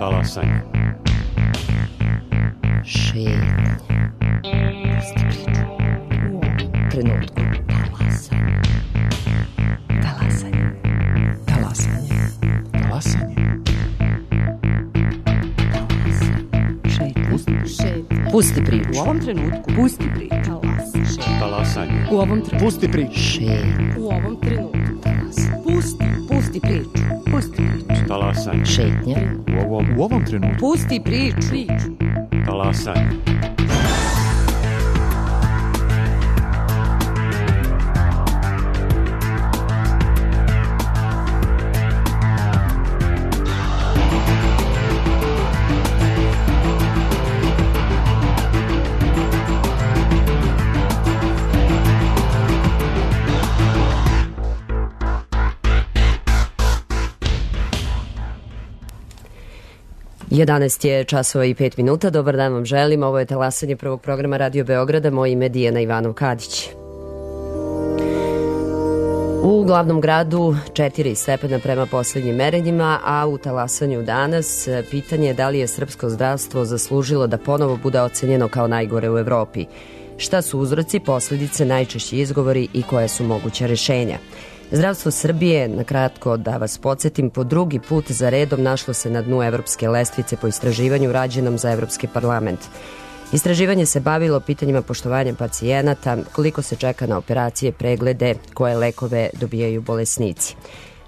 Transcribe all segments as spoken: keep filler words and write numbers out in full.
Talasanje. Šetnja. Pusti priču. U ovom trenutku. Talasanje. Talasanje. Talasanje. Talasanje. Šetnja. Šetnja. Pusti priču. U ovom trenutku. Pusti priču. Talasanje. Talasanje. U ovom trenutku. Pusti priču. Šetnja. U ovom trenutku. Pusti. Pusti priču. Pusti priču. Talasanje. Šetnja. U ovom, U ovom trenutku. Pusti priču. Priču. talasanje. jedanaest je časova i pet minuta. Dobar dan vam želim. Ovo je talasanje prvog programa Radio Beograda. Moje ime je Dijana Ivanov-Kadić. U glavnom gradu četiri stepena prema poslednjim merenjima, a u talasanju danas pitanje je da li je srpsko zdravstvo zaslužilo da ponovo bude ocenjeno kao najgore u Evropi. Šta su uzroci, posledice, najčešći izgovori i koje su moguća rešenja? Zdravstvo Srbije, na kratko da vas podsjetim, po drugi put za redom našlo se na dnu evropske lestvice po istraživanju rađenom za Evropski parlament. Istraživanje se bavilo pitanjima poštovanja pacijenata, koliko se čeka na operacije, preglede, koje lekove dobijaju bolesnici.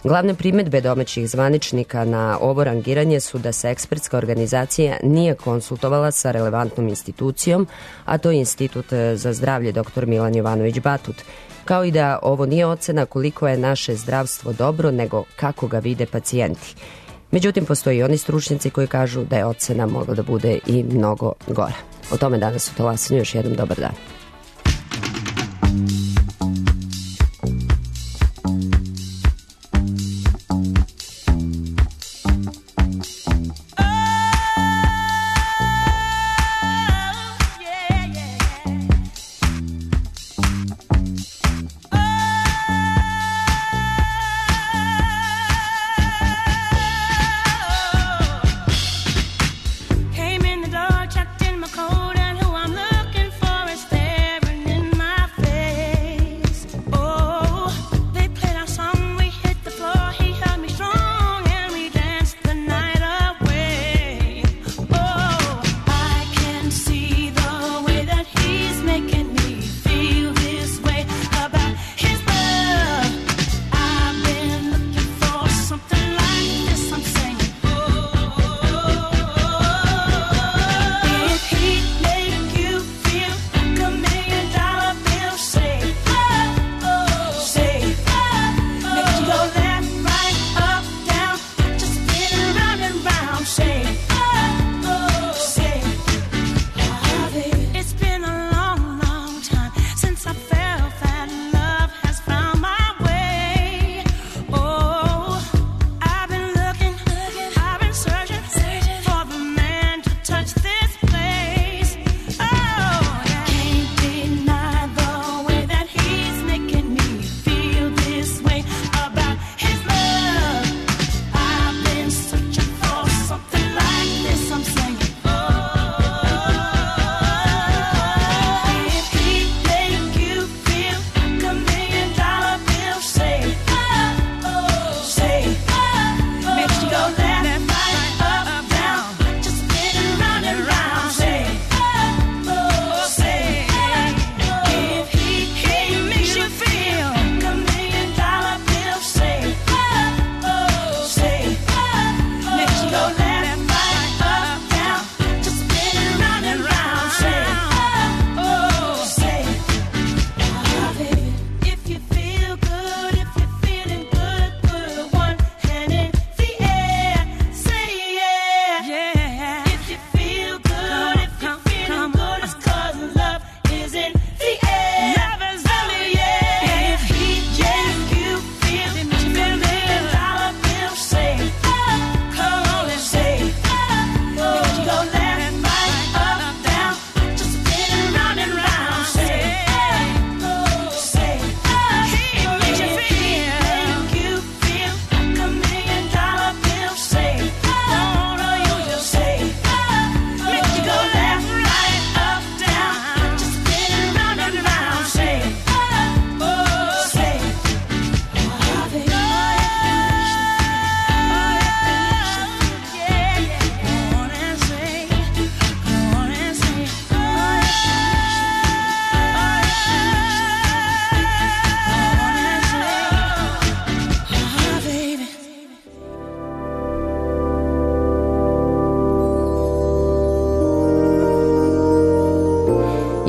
Glavne primedbe domaćih zvaničnika na ovo rangiranje su da se ekspertska organizacija nije konsultovala sa relevantnom institucijom, a to je Institut za zdravlje dr Milan Jovanović Batut, kao i da ovo nije ocena koliko je naše zdravstvo dobro, nego kako ga vide pacijenti. Međutim, postoji i oni stručnjaci koji kažu da je ocena mogla da bude i mnogo gora. O tome danas u talasanju. Još jednom dobar dan. Checked in my coat and who I'm looking for is staring in my face.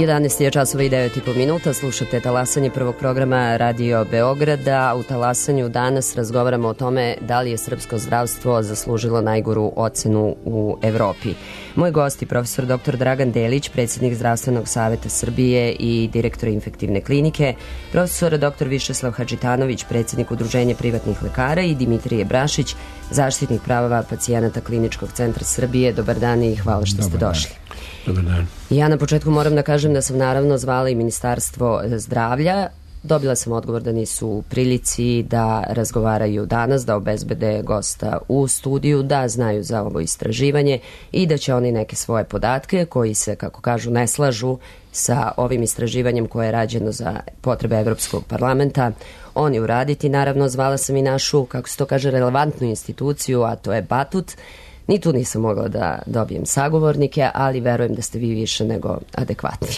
jedanaest je časova i devet i po minuta, slušate talasanje prvog programa Radio Beograda. U talasanju danas razgovaramo o tome da li je srpsko zdravstvo zaslužilo najgoru ocenu u Evropi. Moj gost je profesor doktor Dragan Delić, predsjednik Zdravstvenog saveta Srbije i direktor infektivne klinike, profesor doktor Višeslav Hadžitanović, predsjednik Udruženja privatnih lekara i Dimitrije Brašić, zaštitnik prava pacijenata Kliničkog centra Srbije. Dobar dan i hvala što ste došli. Dobar dan. Ja na početku moram da kažem da sam naravno zvala i Ministarstvo zdravlja. Dobila sam odgovor da nisu u prilici da razgovaraju danas, da obezbede gosta u studiju, da znaju za ovo istraživanje i da će oni neke svoje podatke koji se, kako kažu, ne slažu sa ovim istraživanjem koje je rađeno za potrebe Evropskog parlamenta, oni uraditi. Naravno, zvala sam i našu, kako se to kaže, relevantnu instituciju, a to je Batut. Ni tu nisam mogla da dobijem sagovornike, ali verujem da ste vi više nego adekvatni.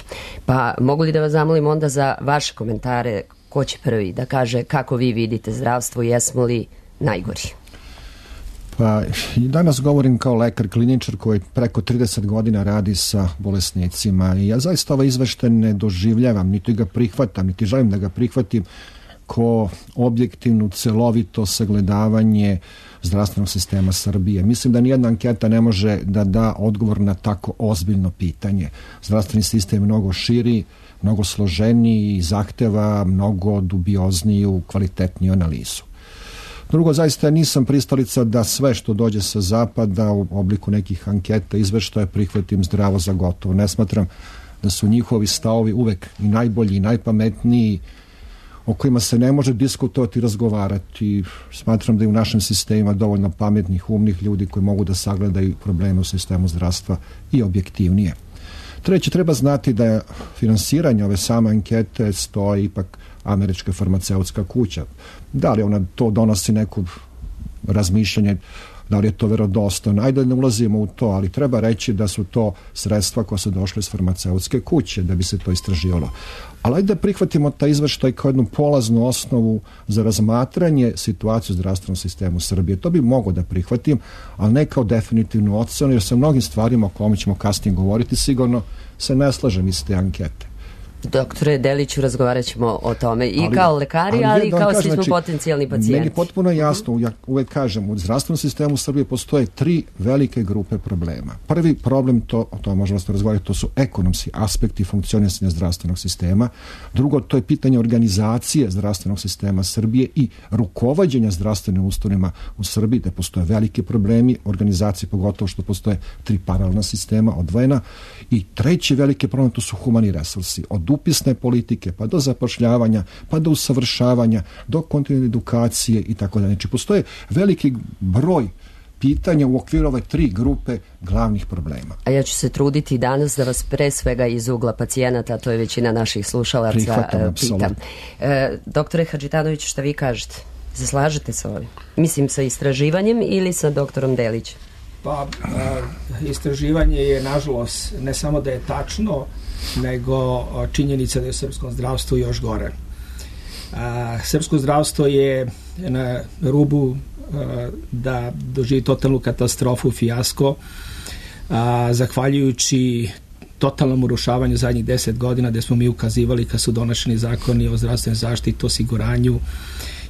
Pa mogu li da vas zamolim onda za vaše komentare, ko će prvi da kaže kako vi vidite zdravstvo, jesmo li najgori? Pa i danas govorim kao lekar kliničar koji preko trideset godina radi sa bolesnicima i ja zaista ovaj izveštaj ne doživljavam, niti ga prihvatam, niti želim da ga prihvatim ko objektivnu, celovito sagledavanje zdravstvenog sistema Srbije. Mislim da nijedna anketa ne može da da odgovor na tako ozbiljno pitanje. Zdravstveni sistem je mnogo širi, mnogo složeniji i zahteva mnogo dubiozniju, kvalitetniju analizu. Drugo, zaista nisam pristalica da sve što dođe sa zapada u obliku nekih anketa, izveštaja prihvatim zdravo za gotovo. Ne smatram da su njihovi stavovi uvek i najbolji i najpametniji, o kojima se ne može diskutovati i razgovarati. Smatram da je u našem sistemu dovoljno pametnih, umnih ljudi koji mogu da sagledaju probleme u sistemu zdravstva i objektivnije. Treće, treba znati da je finansiranje ove same ankete stoji ipak američka farmaceutska kuća. Da li ona to donosi neko razmišljanje, da li je to verodostojno? Ajde ne ulazimo u to, ali treba reći da su to sredstva koja su došle iz farmaceutske kuće da bi se to istraživalo. Ali ajde da prihvatimo taj izveštaj kao jednu polaznu osnovu za razmatranje situacije u zdravstvenom sistemu Srbije. To bi mogo da prihvatim, ali ne kao definitivnu ocenu, jer sa mnogim stvarima o kojima ćemo kasnije govoriti sigurno se ne slažem iz te ankete. Doktore Deliću, razgovarat ćemo o tome i ali, kao lekari, ali, ali i kao svi smo znači, potencijalni pacijenti. Meni je potpuno jasno, ja uvek kažem, u zdravstvenom sistemu Srbije postoje tri velike grupe problema. Prvi problem, to, o tome možemo se razgovarati, to su ekonomski aspekti funkcionisanja zdravstvenog sistema. Drugo, to je pitanje organizacije zdravstvenog sistema Srbije i rukovođenja zdravstvenim ustanovama u Srbiji, da postoje veliki problemi organizacije, pogotovo što postoje tri paralelna sistema odvojena. I treći veliki problem, to su humani resursi. Od upisne politike, pa do zapošljavanja, pa do usavršavanja, do kontinuirane edukacije i tako dalje. Znači, postoje veliki broj pitanja u okviru ove tri grupe glavnih problema. A ja ću se truditi danas da vas pre svega iz ugla pacijenata, to je većina naših slušalaca, Prihvatam, pitam. E, doktore Hadžitanović, šta vi kažete? Se slažete sa ovim? Mislim, sa istraživanjem ili sa doktorom Delićem? Pa, a, istraživanje je, nažalost, ne samo da je tačno, nego činjenica da je u srpskom zdravstvu još gore. A, srpsko zdravstvo je na rubu a, da doživi totalnu katastrofu, fijasko, a, zahvaljujući totalnom urušavanju zadnjih deset godina gde smo mi ukazivali kad su donošeni zakoni o zdravstvenoj zaštiti, osiguranju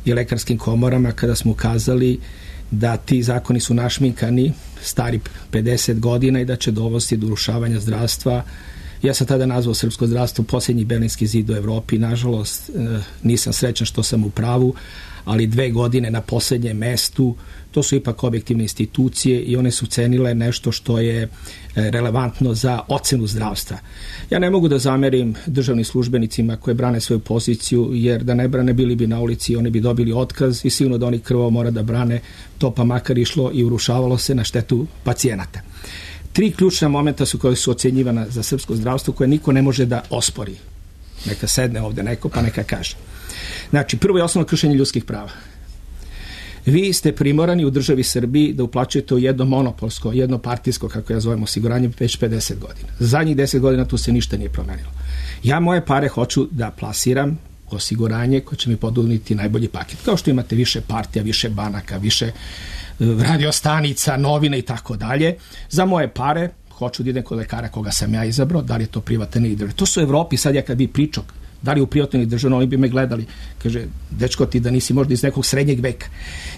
i lekarskim komorama, kada smo ukazali da ti zakoni su našminkani, stari pedeset godina i da će dovesti do urušavanja zdravstva. Ja sam tada nazvao srpsko zdravstvo posljednji Berlinski zid u Evropi. Nažalost, nisam srećan što sam u pravu, ali dve godine na posljednjem mestu, to su ipak objektivne institucije i one su cenile nešto što je relevantno za ocenu zdravstva. Ja ne mogu da zamerim državnim službenicima koje brane svoju poziciju, jer da ne brane bili bi na ulici, oni bi dobili otkaz i sigurno da oni krvo mora da brane, to pa makar išlo i urušavalo se na štetu pacijenata. Tri ključna momenta su koje su ocenjivana za srpsko zdravstvo koje niko ne može da ospori. Neka sedne ovde neko pa neka kaže. Znači, prvo je osnovno kršenje ljudskih prava. Vi ste primorani u državi Srbiji da uplaćujete u jedno monopolsko, jedno partijsko, kako ja zovem, osiguranje već pedeset godina. Zadnjih deset godina tu se ništa nije promenilo. Ja moje pare hoću da plasiram osiguranje koje će mi poduniti najbolji paket. Kao što imate više partija, više banaka, više radiostanica, novine i tako dalje. Za moje pare hoću da idem kod lekara koga sam ja izabrao, da li je to privatan ili državni. To su u Evropi, sad ja kad bi pričao, da li u privatnoj ili državnoj, oni bi me gledali. Kaže, dečko, ti da nisi možda iz nekog srednjeg veka.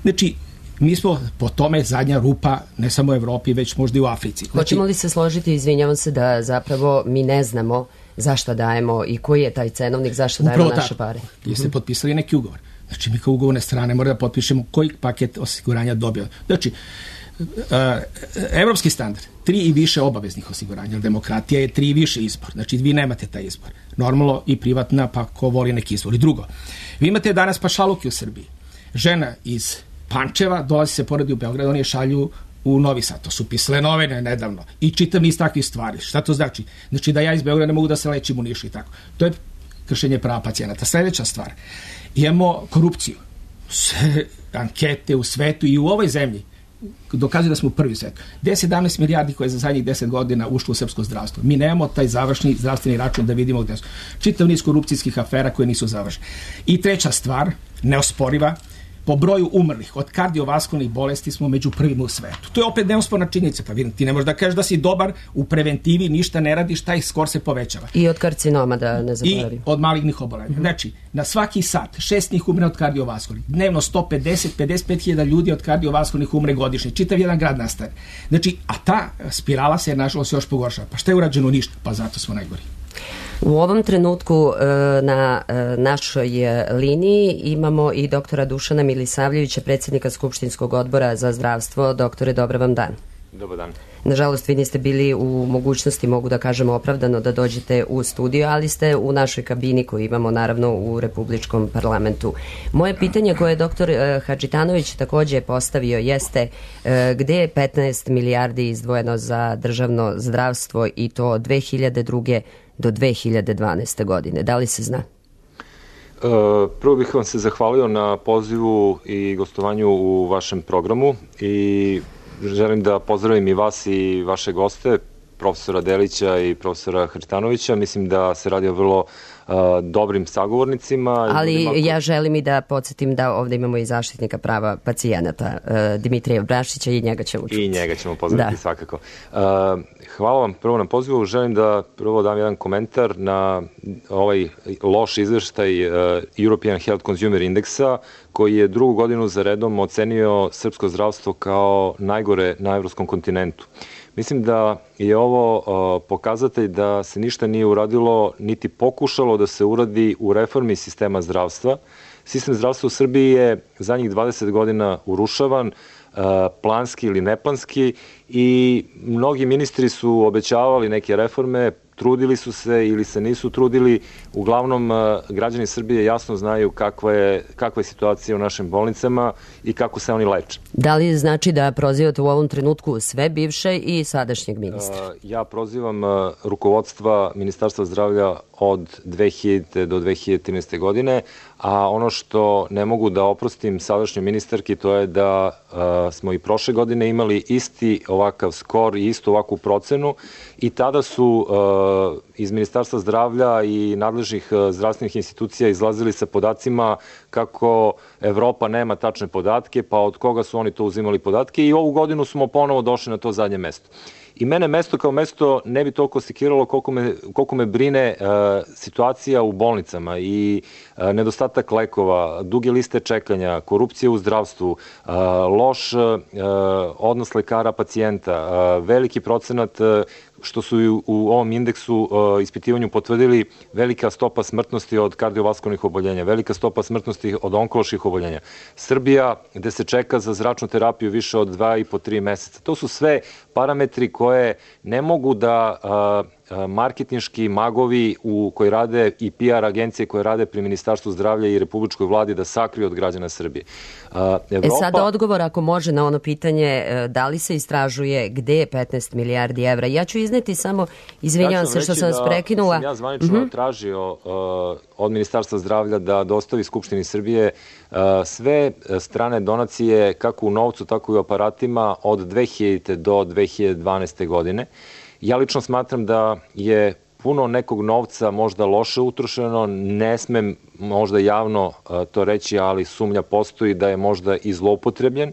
Znači, mi smo po tome zadnja rupa, ne samo u Evropi, već možda i u Africi. Znači, hoćemo li se složiti, izvinjavam se, da zapravo mi ne znamo zašto dajemo i koji je taj cenovnik, zašto dajemo naše tako pare? Jeste uh-huh. potpisali neki ugovor. Znači, mi kao ugovorne strane moramo da potpišemo koji paket osiguranja dobija. Znači, uh, evropski standard, tri i više obaveznih osiguranja, demokratija je tri i više izbor. Znači, vi nemate taj izbor. Normalno i privatna, pa ko voli neki izbor. I drugo, vi imate danas pašaluke u Srbiji. Žena iz Pančeva dolazi se poredi u Beograd, oni je šalju u Novi Sad. To su pisale novine nedavno. I čitav niz takvih stvari. Šta to znači? Znači da ja iz Beograda ne mogu da se lečim u Nišu i tako. To je kršenje prava pacijenata. Sljedeća stvar. Imamo korupciju. Sve ankete u svetu i u ovoj zemlji dokazuju da smo u prvi svet. deset sedamnaest milijardi koje je za zadnjih deset godina ušlo u srpsko zdravstvo. Mi nemamo taj završni zdravstveni račun da vidimo gde su. Čitav niz korupcijskih afera koje nisu završene. I treća stvar, neosporiva, po broju umrlih od kardiovaskularnih bolesti smo među prvima u svetu. To je opet neosporna činjenica. Pa vidim, ti ne možeš da kažeš da si dobar u preventivi, ništa ne radiš, taj skor se povećava. I od karcinoma, da ne zaboravim. I od malignih oboljenja. Mm-hmm. Znači, na svaki sat šest njih umre od kardiovaskularnih. Dnevno sto pedeset do pedeset pet hiljada ljudi od kardiovaskularnih umre godišnje. Čitav jedan grad nastane. Znači, a ta spirala se nažalost još pogoršava. Pa šta je urađeno? Ništa. Pa zato smo najgori. U ovom trenutku na našoj liniji imamo i doktora Dušana Milisavljevića, predsjednika Skupštinskog odbora za zdravstvo. Doktore, dobar vam dan. Dobar dan. Nažalost, vi niste bili u mogućnosti, mogu da kažemo opravdano, da dođete u studio, ali ste u našoj kabini koju imamo naravno u Republičkom parlamentu. Moje pitanje koje je doktor Hadžitanović takođe postavio jeste gde je petnaest milijardi izdvojeno za državno zdravstvo i to od dve hiljade druge do dve hiljade dvanaeste. godine. Da li se zna? Prvo bih vam se zahvalio na pozivu i gostovanju u vašem programu i želim da pozdravim i vas i vaše goste, profesora Delića i profesora Hadžitanovića. Mislim da se radi o vrlo uh, dobrim sagovornicima. Ali ljudima... ja želim i da podsjetim da ovde imamo i zaštitnika prava pacijenata, uh, Dimitrija Brašića, i njega ćemo čuti. I njega ćemo pozdraviti, da. Svakako. Uh, hvala vam prvo na pozivu. Želim da prvo dam jedan komentar na ovaj loš izveštaj uh, European Health Consumer Indexa, koji je drugu godinu za redom ocenio srpsko zdravstvo kao najgore na evropskom kontinentu. Mislim da je ovo uh, pokazatelj da se ništa nije uradilo, niti pokušalo da se uradi u reformi sistema zdravstva. Sistem zdravstva u Srbiji je zadnjih dvadeset godina urušavan, uh, planski ili neplanski, i mnogi ministri su obećavali neke reforme, trudili su se ili se nisu trudili. Uglavnom, građani Srbije jasno znaju kakva je, kakva je situacija u našim bolnicama i kako se oni leče. Da li znači da prozivate u ovom trenutku sve bivše i sadašnjeg ministra? Ja prozivam rukovodstva Ministarstva zdravlja od dve hiljadite do dve hiljade trinaeste. godine, a ono što ne mogu da oprostim sadašnjoj ministarki, to je da a, smo i prošle godine imali isti ovakav skor i istu ovakvu procenu, i tada su a, iz Ministarstva zdravlja i nadležnih zdravstvenih institucija izlazili sa podacima kako Evropa nema tačne podatke, pa od koga su oni to uzimali podatke, i ovu godinu smo ponovo došli na to zadnje mesto. I mene mesto kao mesto ne bi toliko sekiralo koliko me, koliko me brine uh, situacija u bolnicama i uh, nedostatak lekova, duge liste čekanja, korupcija u zdravstvu, uh, loš uh, odnos lekara pacijenta, uh, veliki procenat uh, što su u, u ovom indeksu uh, ispitivanju potvrdili, velika stopa smrtnosti od kardiovaskularnih oboljenja, velika stopa smrtnosti od onkoloških oboljenja. Srbija, gde se čeka za zračnu terapiju više od dva i po tri meseca. To su sve parametri koje ne mogu da uh, marketinški magovi u koji rade i P R agencije koje rade pri Ministarstvu zdravlja i Republičkoj vladi da sakriju od građana Srbije. Evropa... E sad odgovor, ako može, na ono pitanje da li se istražuje gde je petnaest milijardi evra. Ja ću izneti samo, izvinjavam se što sam vas prekinula. Ja sam ja zvanično uh-huh. tražio uh, od Ministarstva zdravlja da dostavi Skupštini Srbije uh, sve strane donacije kako u novcu, tako i u aparatima od dve hiljadite do dve hiljade dvanaeste. godine. Ja lično smatram da je puno nekog novca možda loše utrošeno, ne smem možda javno to reći, ali sumnja postoji da je možda i zloupotrebljen.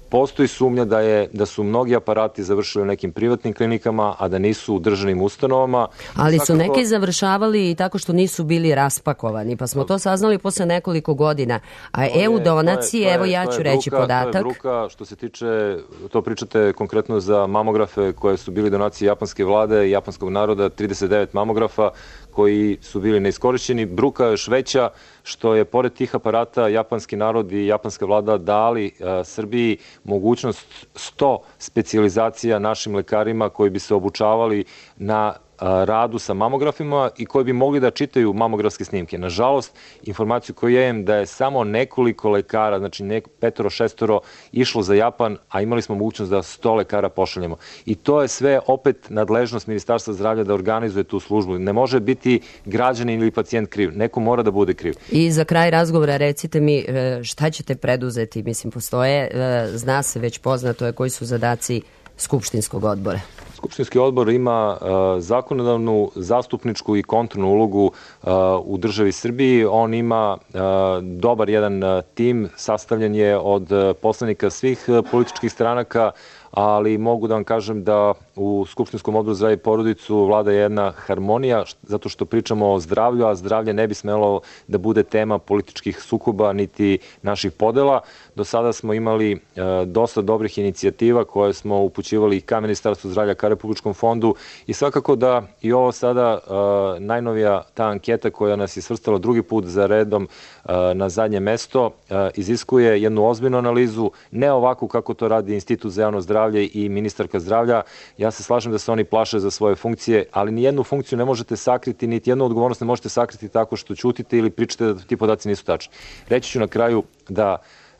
postoji sumnja da je da su mnogi aparati završili u nekim privatnim klinikama, a da nisu u državnim ustanovama. Ali Svakako, su neki završavali i tako što nisu bili raspakovani, pa smo to saznali posle nekoliko godina. A E U donacije, evo ja ću reći bruka, podatak. To je bruka, što se tiče, to pričate konkretno za mamografe koje su bili donacije japanske vlade i japanskog naroda, trideset devet mamografa koji su bili neiskorišćeni. Bruka je još veća što je pored tih aparata japanski narod i japanska vlada dali a, Srbiji mogućnost sto specijalizacija našim lekarima koji bi se obučavali na radu sa mamografima i koji bi mogli da čitaju mamografske snimke. Nažalost, informaciju koju imam da je samo nekoliko lekara, znači nek, petoro, šestoro, išlo za Japan, a imali smo mogućnost da sto lekara pošaljemo. I to je sve opet nadležnost Ministarstva zdravlja da organizuje tu službu. Ne može biti građanin ili pacijent kriv. Neko mora da bude kriv. I za kraj razgovora recite mi šta ćete preduzeti? Mislim, postoje, zna se već poznato je koji su zadaci Skupštinskog odbora. Skupštinski odbor ima uh, zakonodavnu, zastupničku i kontrolnu ulogu uh, u državi Srbiji. On ima uh, dobar jedan uh, tim, sastavljen je od uh, poslanika svih uh, političkih stranaka, ali mogu da vam kažem da u Skupštinskom odboru za zdravlje i porodicu vlada jedna harmonija, zato što pričamo o zdravlju, a zdravlje ne bi smelo da bude tema političkih sukoba niti naših podela. Do sada smo imali e, dosta dobrih inicijativa koje smo upućivali ka Ministarstvu zdravlja, ka Republičkom fondu i svakako da i ovo sada e, najnovija ta anketa koja nas je svrstala drugi put za redom e, na zadnje mesto e, iziskuje jednu ozbiljnu analizu, ne ovako kako to radi Institut za javno zdravlje i ministarka zdravlja. Ja se slažem da se oni plaše za svoje funkcije, ali ni jednu funkciju ne možete sakriti, niti jednu odgovornost ne možete sakriti tako što ćutite ili pričate da ti podaci nisu tačni. Reći ću na kraju da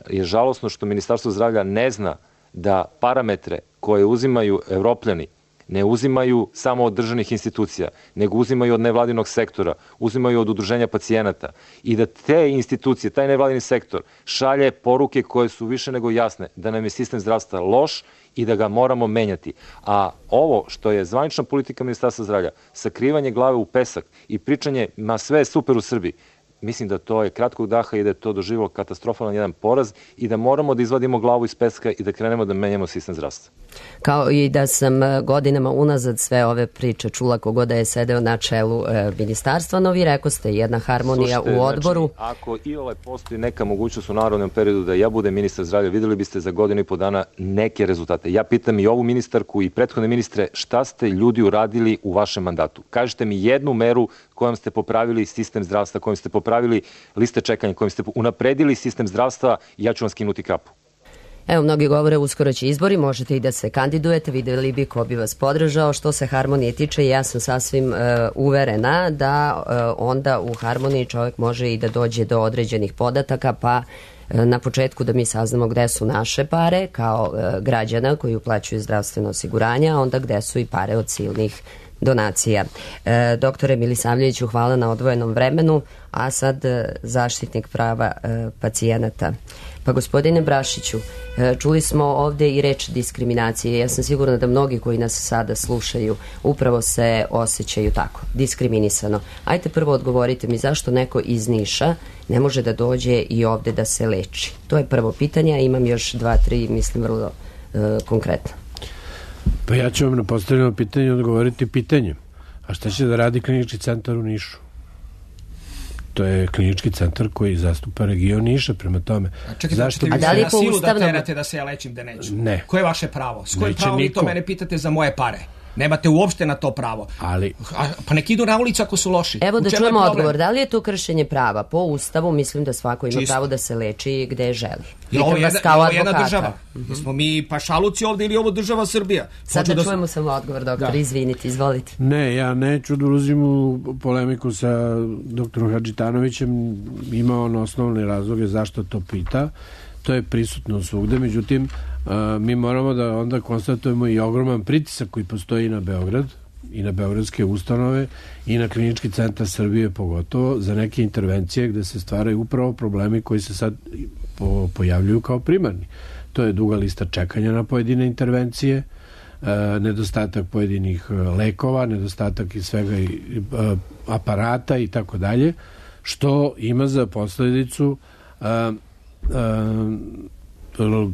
je žalosno što Ministarstvo zdravlja ne zna da parametre koje uzimaju Evropljani ne uzimaju samo od državnih institucija, nego uzimaju od nevladinog sektora, uzimaju od udruženja pacijenata i da te institucije, taj nevladini sektor šalje poruke koje su više nego jasne, da nam je sistem zdravstva loš i da ga moramo menjati. A ovo što je zvanična politika Ministarstva zdravlja, sakrivanje glave u pesak i pričanje ma sve je super u Srbiji, mislim da to je kratkog daha i da je to doživilo katastrofalan jedan poraz i da moramo da izvadimo glavu iz peska i da krenemo da menjamo sistem zdravstva. Kao i da sam godinama unazad sve ove priče čula kogo da je sedeo na čelu e, ministarstva, no vi rekao ste jedna harmonija Slušajte, u odboru. Znači, ako i ole postoji neka mogućnost u narodnom periodu da ja budem ministar zdravlja, videli biste za godinu i po dana neke rezultate. Ja pitam i ovu ministarku i prethodne ministre šta ste ljudi uradili u vašem mandatu. Kažite mi jednu meru kojom ste popravili sistem zdravstva, kojom ste popravili liste čekanja, kojim ste unapredili sistem zdravstva i ja ću vam skinuti kapu. Evo, mnogi govore uskoro će izbori, možete i da se kandidujete, videli bi ko bi vas podržao. Što se harmonije tiče, ja sam sasvim e, uverena da e, onda u harmoniji čovjek može i da dođe do određenih podataka, pa e, na početku da mi saznamo gde su naše pare kao e, građana koji uplaćuju zdravstveno osiguranje, a onda gde su i pare od silnih donacija. E, doktore Milisavljeviću, hvala na odvojenom vremenu, a sad e, zaštitnik prava e, pacijenata. Pa gospodine Brašiću, e, čuli smo ovde i reč diskriminacije. Ja sam sigurna da mnogi koji nas sada slušaju upravo se osjećaju tako, diskriminisano. Ajte prvo odgovorite mi zašto neko iz Niša ne može da dođe i ovde da se leči. To je prvo pitanje, a imam još dva, tri, mislim, vrlo e, konkretno. Pa ja ću vam na postavljeno pitanje odgovoriti pitanjem. A šta će da radi klinički centar u Nišu? To je klinički centar koji zastupa region Niša, prema tome. A čekajte, zašto bi da li na silu ustavno... da terate da se ja lečim da neću? Ne. Koje je vaše pravo? S kojim Neće pravom vi niko. to mene pitate za moje pare? Nemate uopšte na to pravo. Ali... A, pa nek idu na ulicu ako su loši. Evo da čujemo odgovor. Da li je to kršenje prava? Po Ustavu mislim da svako ima Čisto. pravo da se leči gde želi. Je ovo jedna, kao ovo jedna advokata. država. Mm-hmm. Smo mi pašaluci ovde ili ovo država Srbija? Sad Hoću da da čujemo samo odgovor, doktor. Da. Izvinite, izvolite. Ne, ja neću da ulazim u polemiku sa doktorom Hadžitanovićem. Ima on osnovne razloge zašto to pita. To je prisutno svugde. Međutim, a, mi moramo da onda konstatujemo i ogroman pritisak koji postoji na Beograd i na beogradske ustanove i na klinički centar Srbije pogotovo za neke intervencije gde se stvaraju upravo problemi koji se sad po, pojavljuju kao primarni. To je duga lista čekanja na pojedine intervencije, e, nedostatak pojedinih lekova, nedostatak i svega i, e, aparata i tako dalje, što ima za posledicu e, e,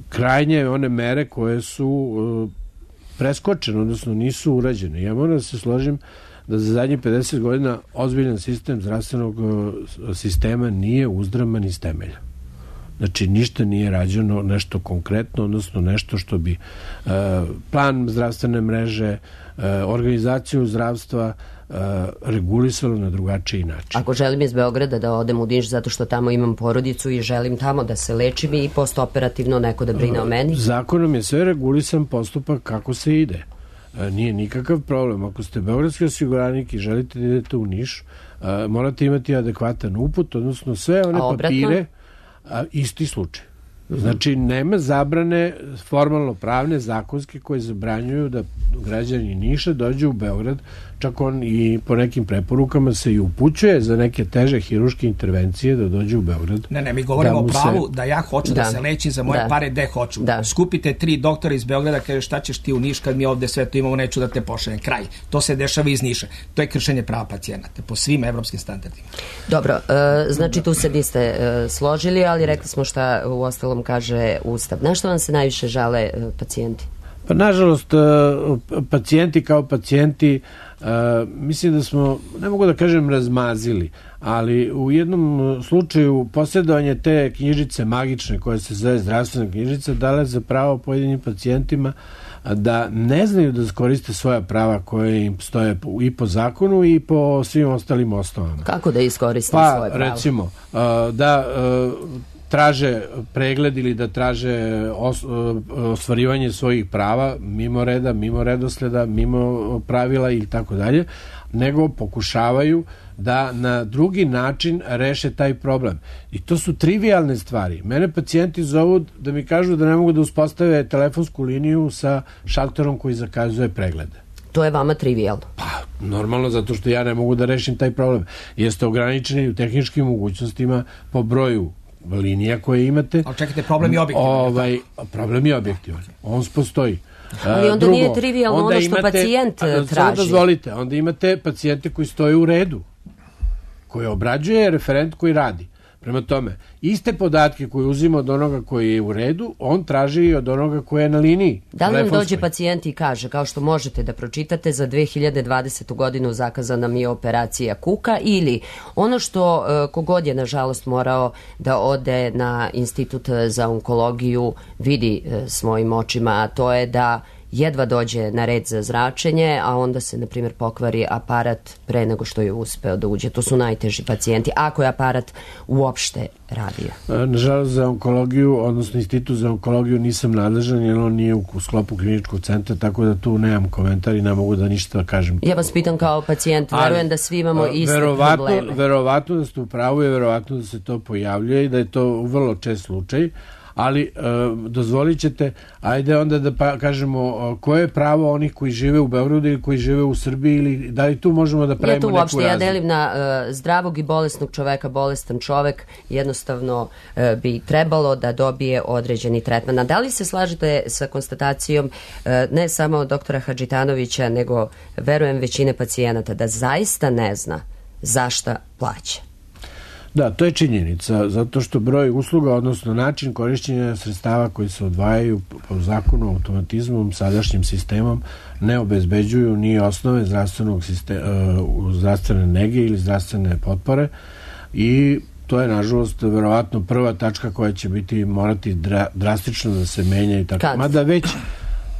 krajnje one mere koje su preskočene, odnosno nisu urađene. Ja moram da se složim da za zadnjih pedeset godina ozbiljan sistem zdravstvenog sistema nije uzdraman iz temelja. Znači, ništa nije rađeno, nešto konkretno, odnosno nešto što bi uh, plan zdravstvene mreže, uh, organizaciju zdravstva uh, regulisalo na drugačiji način. Ako želim iz Beograda da odem u Niš zato što tamo imam porodicu i želim tamo da se lečim i postoperativno neko da brine o meni? Zakonom je sve regulisan postupak kako se ide. Nije nikakav problem. Ako ste beogradski osiguranik i želite da idete u Niš, morate imati adekvatan uput, odnosno sve one papire, a, isti slučaj. Znači, nema zabrane formalno pravne, zakonske, koje zabranjuju da građani Niša dođu u Beograd, čak on i po nekim preporukama se i upućuje za neke teže hiruške intervencije da dođu u Beograd. Ne, ne, mi govorimo o pravu se... da ja hoću da, da se lečim za moje da. pare gde hoću. Da. Skupite tri doktora iz Beograda, kaže šta ćeš ti u Niš kad mi ovde sve to imamo, neću da te pošaljem. Kraj. To se dešava iz Niša. To je kršenje prava pacijenata po svim evropskim standardima. Dobro, e, znači tu se niste e, složili, ali rekli smo šta u ostalom kaže Ustav. Na što vam se najviše žale e, pacijenti? Pa nažalost, pacijenti kao pacijenti, mislim da smo, ne mogu da kažem razmazili, ali u jednom slučaju posjedovanje te knjižice magične koja se zove zdravstvena knjižica dale za pravo pojedinim pacijentima da ne znaju da koriste svoja prava koje im stoje i po zakonu i po svim ostalim osnovama. Kako da iskoriste pa, svoje pravo? Pa recimo, da traže pregled ili da traže os, ostvarivanje svojih prava mimo reda, mimo redosleda, mimo pravila ili tako dalje, nego pokušavaju da na drugi način reše taj problem. I to su trivialne stvari. Mene pacijenti zovu da mi kažu da ne mogu da uspostave telefonsku liniju sa šalterom koji zakazuje preglede. To je vama trivijalno? Pa, normalno, zato što ja ne mogu da rešim taj problem. Jeste ograničeni u tehničkim mogućnostima po broju linija koje imate. Ali čekajte, problem je objektivan. Ovaj, problem je objektivan. On postoji. Ali onda Drugo, nije trivijalno onda ono što imate, pacijent traži. Samo dozvolite, onda imate pacijente koji stoje u redu, koji obrađuje referent koji radi. Prema tome, iste podatke koje uzima od onoga koji je u redu, on traži i od onoga koji je na liniji. Da li nam dođe pacijent i kaže, kao što možete da pročitate, za dve hiljade dvadesetu godinu zakazana mi je operacija kuka, ili ono što kogod je nažalost morao da ode na Institut za onkologiju vidi svojim očima, a to je da jedva dođe na red za zračenje, a onda se, na primjer, pokvari aparat pre nego što je uspeo da uđe. To su najteži pacijenti, ako je aparat uopšte radio. Nažalost, za onkologiju, odnosno Institut za onkologiju nisam nadležan, jer on nije u sklopu kliničkog centra, tako da tu nemam komentar i ne mogu da ništa kažem. Ja vas pitam kao pacijent, verujem da svi imamo iste verovatno, probleme. Verovatno da ste u pravu i verovatno da se to pojavljuje i da je to vrlo čest slučaj. Ali e, dozvolit ćete, ajde onda da pa, kažemo koje je pravo onih koji žive u Beogradu ili koji žive u Srbiji, ili da li tu možemo da pravimo neku razliku? Ja tu uopšte, ja delim na uh, zdravog i bolesnog čoveka. Bolestan čovek jednostavno uh, bi trebalo da dobije određeni tretman. A da li se slažete sa konstatacijom uh, ne samo doktora Hadžitanovića, nego verujem većine pacijenata da zaista ne zna zašta plaća? Da, to je činjenica, zato što broj usluga, odnosno način korišćenja sredstava koji se odvajaju po zakonu, automatizmom, sadašnjim sistemom, ne obezbeđuju ni osnove zdravstvenog sistema, zdravstvene nege ili zdravstvene potpore, i to je, nažalost, verovatno prva tačka koja će biti morati dra, drastično da se menja i tako. Kad? Mada već,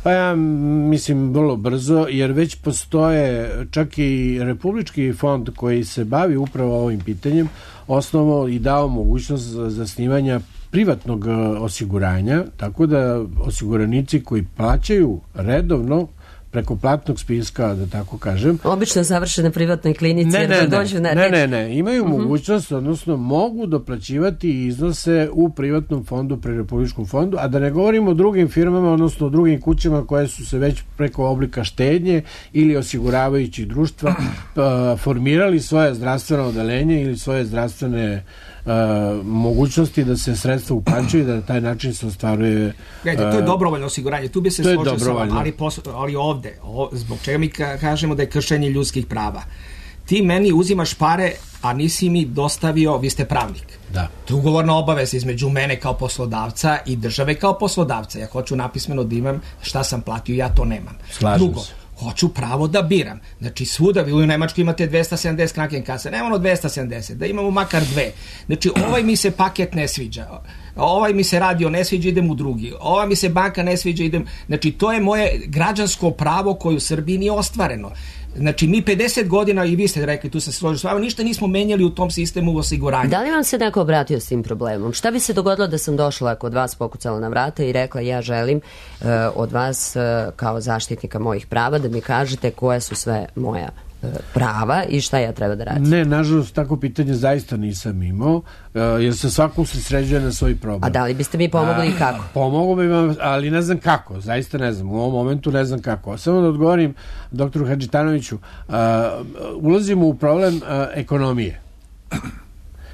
pa ja mislim vrlo brzo, jer već postoje čak i Republički fond koji se bavi upravo ovim pitanjem, osnovo i dao mogućnost zasnivanja privatnog osiguranja, tako da osiguranici koji plaćaju redovno preko platnog spiska, da tako kažem. Obično završe na privatnoj klinici, ne, jer ne, da dođu na ne, ne, ne, imaju uh-huh. mogućnost, odnosno mogu doplaćivati iznose u privatnom fondu pri Republičkom fondu, a da ne govorimo o drugim firmama, odnosno o drugim kućama koje su se već preko oblika štednje ili osiguravajućih društva formirali svoje zdravstveno odeljenje ili svoje zdravstvene Uh, mogućnosti da se sredstva uplaćuju i da na taj način se ostvaruje... Gledajte, to je dobrovoljno osiguranje, tu bi se složio sa vama, ali, ali ovde, o, zbog čega mi ka, kažemo da je kršenje ljudskih prava. ti meni uzimaš pare, a nisi mi dostavio, vi ste pravnik. Da. To je ugovorna obaveza između mene kao poslodavca i države kao poslodavca. Ja hoću napismeno da imam šta sam platio, ja to nemam. Slažem Drugo, se. hoću pravo da biram. Znači svuda, vi u Nemačkoj imate dvesta sedamdeset Krankenkase, nemamo dvesta sedamdeset, da imamo makar dve. Znači ovaj mi se paket ne sviđa, ovaj mi se radio ne sviđa, idem u drugi, ova mi se banka ne sviđa, idem. Znači to je moje građansko pravo koje u Srbiji nije ostvareno. Znači mi pedeset godina, i vi ste rekli, tu se složio s vama, ništa nismo menjali u tom sistemu osiguranja. Da li vam se neko obratio s tim problemom? Šta bi se dogodilo da sam došla kod vas, pokucala na vrata i rekla ja želim uh, od vas uh, kao zaštitnika mojih prava da mi kažete koje su sve moja uh, prava i šta ja treba da radim? Ne, nažalost, tako pitanje zaista nisam imao, uh, jer se svako usredsređuje na svoj problem. A da li biste mi pomogli i kako? Pomogu bi vam, ali ne znam kako, zaista ne znam, u ovom momentu ne znam kako. Samo da odgovorim doktoru Hadžitanoviću, uh, ulazimo u problem uh, ekonomije.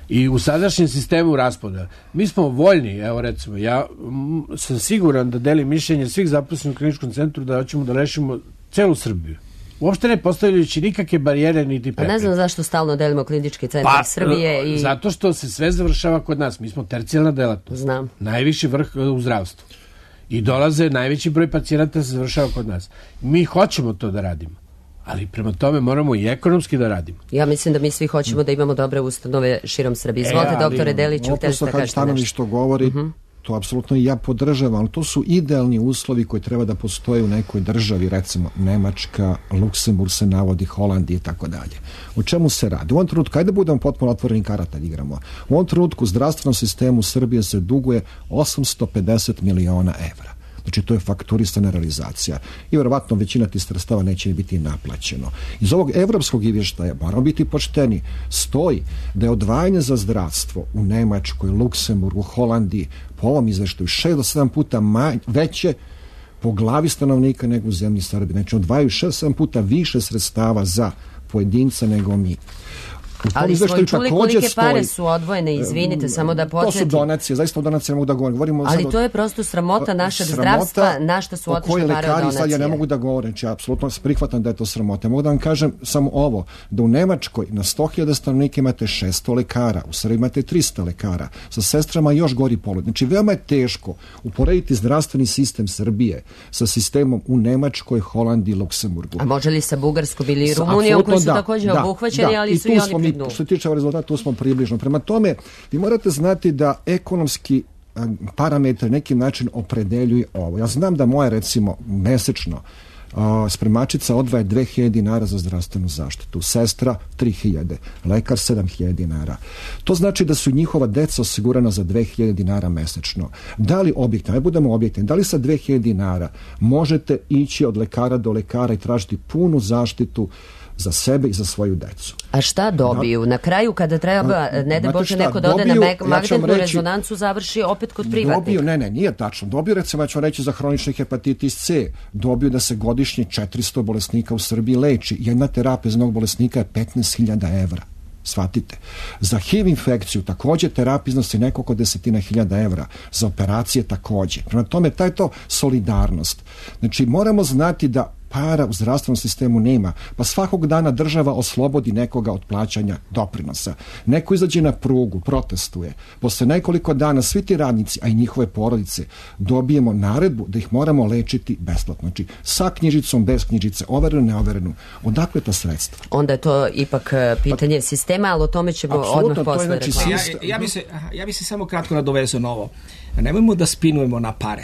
I u sadašnjem sistemu raspodela. Mi smo voljni, evo recimo, ja m, sam siguran da delim mišljenje svih zaposlenih u kliničkom centru da hoćemo da rešimo celu Srbiju. Uopšte ne postavljajući nikakve barijere niti prepreke. Pa ne znam zašto stalno delimo klinički centar pa, Srbije i... Zato što se sve završava kod nas. Mi smo tercijalna delatnost. Znam. Najviši vrh u zdravstvu. I dolaze, najveći broj pacijenata se završava kod nas. Mi hoćemo to da radimo. Ali prema tome moramo i ekonomski da radimo. Ja mislim da mi svi hoćemo da imamo dobre ustanove širom Srbije. Izvolite, e, doktore Deliću, hteli ste da kažete nešto. Što govori, uh-huh. to apsolutno i ja podržavam, ali to su idealni uslovi koji treba da postoje u nekoj državi, recimo Nemačka, Luksemburg se navodi, Holandija i tako dalje. O čemu se radi? U ovom trenutku, ajde da budemo potpuno otvoreni karata da igramo. U ovom trenutku u zdravstvenom sistemu Srbije se duguje osamsto pedeset miliona evra. Znači, to je fakturisana realizacija. I verovatno većina tih sredstava neće biti naplaćeno. Iz ovog evropskog izvještaja, moramo biti pošteni, stoji da je odvajanje za zdravstvo u Nemačkoj, Luksemburgu, Holandiji, po ovom izvještaju, šest do sedam puta manje, veće po glavi stanovnika nego u zemlji Srbije. Znači, odvajaju šest do sedam puta više sredstava za pojedinca nego mi. Ali smo i čuli kolike pare su odvojene, izvinite, samo da podsjetim. To su donacije, zaista o donacijama mogu da govorim. Govorimo ali sad to je prosto sramota našeg zdravstva, na što su otišle pare od donacije. Sad ja ne mogu da govorim, znači apsolutno prihvatam da je to sramota. Mogu da vam kažem samo ovo, da u Nemačkoj na sto hiljada stanovnika imate šesto lekara, u Srbiji imate trista lekara, sa sestrama još gori položaj. Znači veoma je teško uporediti zdravstveni sistem Srbije sa sistemom u Nemačkoj, Holandiji, Luksemburgu. A može li sa Bugarskom ili Rumunijom koji su da, također da, obuhvaćeni, da, ali su i oni pri dnu? Što se tiče rezultata, tu smo približno. Prema tome, vi morate znati da ekonomski parametri nekim način opredeljuje ovo. Ja znam da moja, recimo, mesečno Uh, spremačica odvaja dve hiljade dinara za zdravstvenu zaštitu, sestra tri hiljade, lekar sedam hiljada dinara. To znači da su njihova deca osigurana za dve hiljade dinara mesečno. Da li objektivno, ne budemo objektivni, da li sa dve hiljade dinara možete ići od lekara do lekara i tražiti punu zaštitu za sebe i za svoju decu? A šta dobiju? Na kraju kada treba, ne da Bože, neko da ode na magnetnu ja rezonancu, završi opet kod privatnika. Dobiju, ne, ne, nije tačno. Dobiju, recimo, ja ću reći za hronični hepatitis C, dobiju da se godišnje četiristo bolesnika u Srbiji leči. Jedna terapija za jednog bolesnika je petnaest hiljada evra. Shvatite. Za H I V infekciju također terapija iznosi nekoliko desetina hiljada evra. Za operacije također. Prema tome, taj je to solidarnost. Znači, moramo znati da para u zdravstvenom sistemu nema, pa svakog dana država oslobodi nekoga od plaćanja doprinosa. Neko izađe na prugu, protestuje. Posle nekoliko dana svi ti radnici, a i njihove porodice, dobijemo naredbu da ih moramo lečiti besplatno. Znači, sa knjižicom, bez knjižice, overenu, neoverenu. Odakle ta sredstva? Onda je to ipak pitanje pa, sistema, ali o tome ćemo odmah posle znači ja, ja, bi se, ja bi se samo kratko nadovezao na ovo. Nemojmo da spinujemo na pare.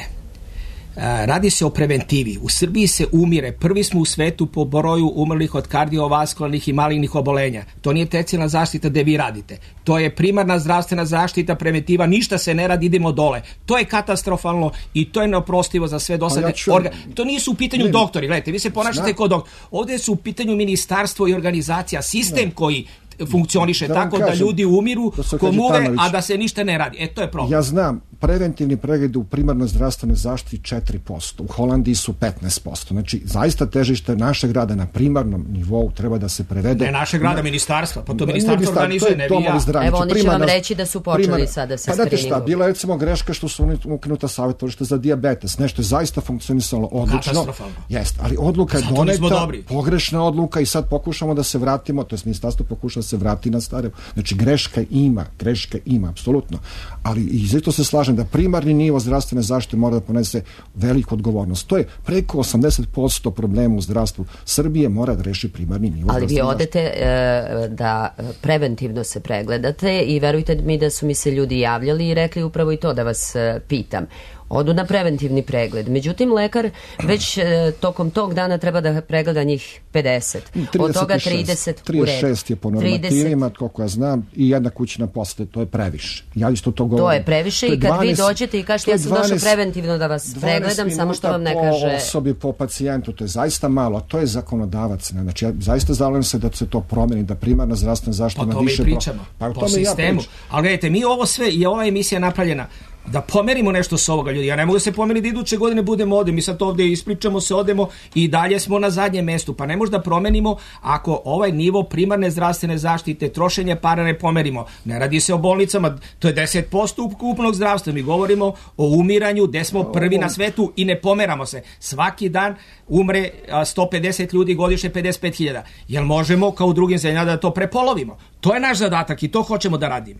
Radi se o preventivi. U Srbiji se umire. Prvi smo u svetu po broju umrlih od kardiovaskularnih i malignih obolenja. To nije tercijalna zaštita gde vi radite. To je primarna zdravstvena zaštita, preventiva. Ništa se ne radi, idemo dole. To je katastrofalno i to je neoprostivo za sve dosadne. Ja ću... orga... To nisu u pitanju ne, doktori. Gledajte, vi se ponašate kao doktor. Ovdje su u pitanju ministarstvo i organizacija, sistem ne. koji funkcioniše da tako kažem, da ljudi umiru, komuve, a da se ništa ne radi. E, to je problem. Ja znam, preventivni pregledi u primarnoj zdravstvenoj zaštiti četiri posto, u Holandiji su petnaest posto. Znači, zaista težište našeg rada na primarnom nivou treba da se prevede. Ne našeg rada, ministarstva, pa to ministarstvo organizuje, ne vi ja. Zdravlje. Evo, oni će vam reći da su počeli primarna, sada sa pa screeningom. Pa šta, bila je recimo greška što su ukinuta savjetovališta za dijabetes, nešto je zaista funkcionisalo odlično. Katastrofalno. Jeste, ali odluka je doneta, pogrešna odluka i sad pokušamo da se vratimo, to je ministarstvo pokuša da se vrati na stare. Znači, greška ima, greška ima, apsolutno. Ali i zato se slažem da primarni nivo zdravstvene zaštite mora da ponese veliku odgovornost. To je preko osamdeset posto problema u zdravstvu Srbije mora da reši primarni nivo. Ali vi odete e, da preventivno se pregledate i verujte mi da su mi se ljudi javljali i rekli upravo i to da vas e, pitam. Odu na preventivni pregled. Međutim, lekar već e, tokom tog dana treba da pregleda njih pedeset. Od toga trideset, trideset šest je po normativima, koliko ja znam, i jedna kućna posete, to je previše. Ja isto to govorim. To je previše to je i kad dvanaest, vi dođete i kažete ja sam došao preventivno da vas pregledam, samo što vam ne kaže... po osobi, po pacijentu, to je zaista malo, a to je zakonodavac. Znači, ja zaista zalažem se da se to promeni, da primarna zdravstvena zaštita ima više... Pa to mi pričamo, pa, po sistemu. Ja ali gledajte, mi ovo sve, i ova emisija napravljena da pomerimo nešto s ovoga, ljudi. Ja ne mogu da se pomeri da iduće godine budemo ovde. Mi sad ovde ispričamo se, odemo i dalje smo na zadnjem mestu. Pa ne možemo da promenimo ako ovaj nivo primarne zdravstvene zaštite, trošenje para ne pomerimo. Ne radi se o bolnicama, to je deset posto ukupnog zdravstva. Mi govorimo o umiranju, gde smo prvi na svetu i ne pomeramo se. Svaki dan umre sto pedeset ljudi, godišnje pedeset pet hiljada. Jel možemo kao u drugim zemljama da to prepolovimo? To je naš zadatak i to hoćemo da radimo.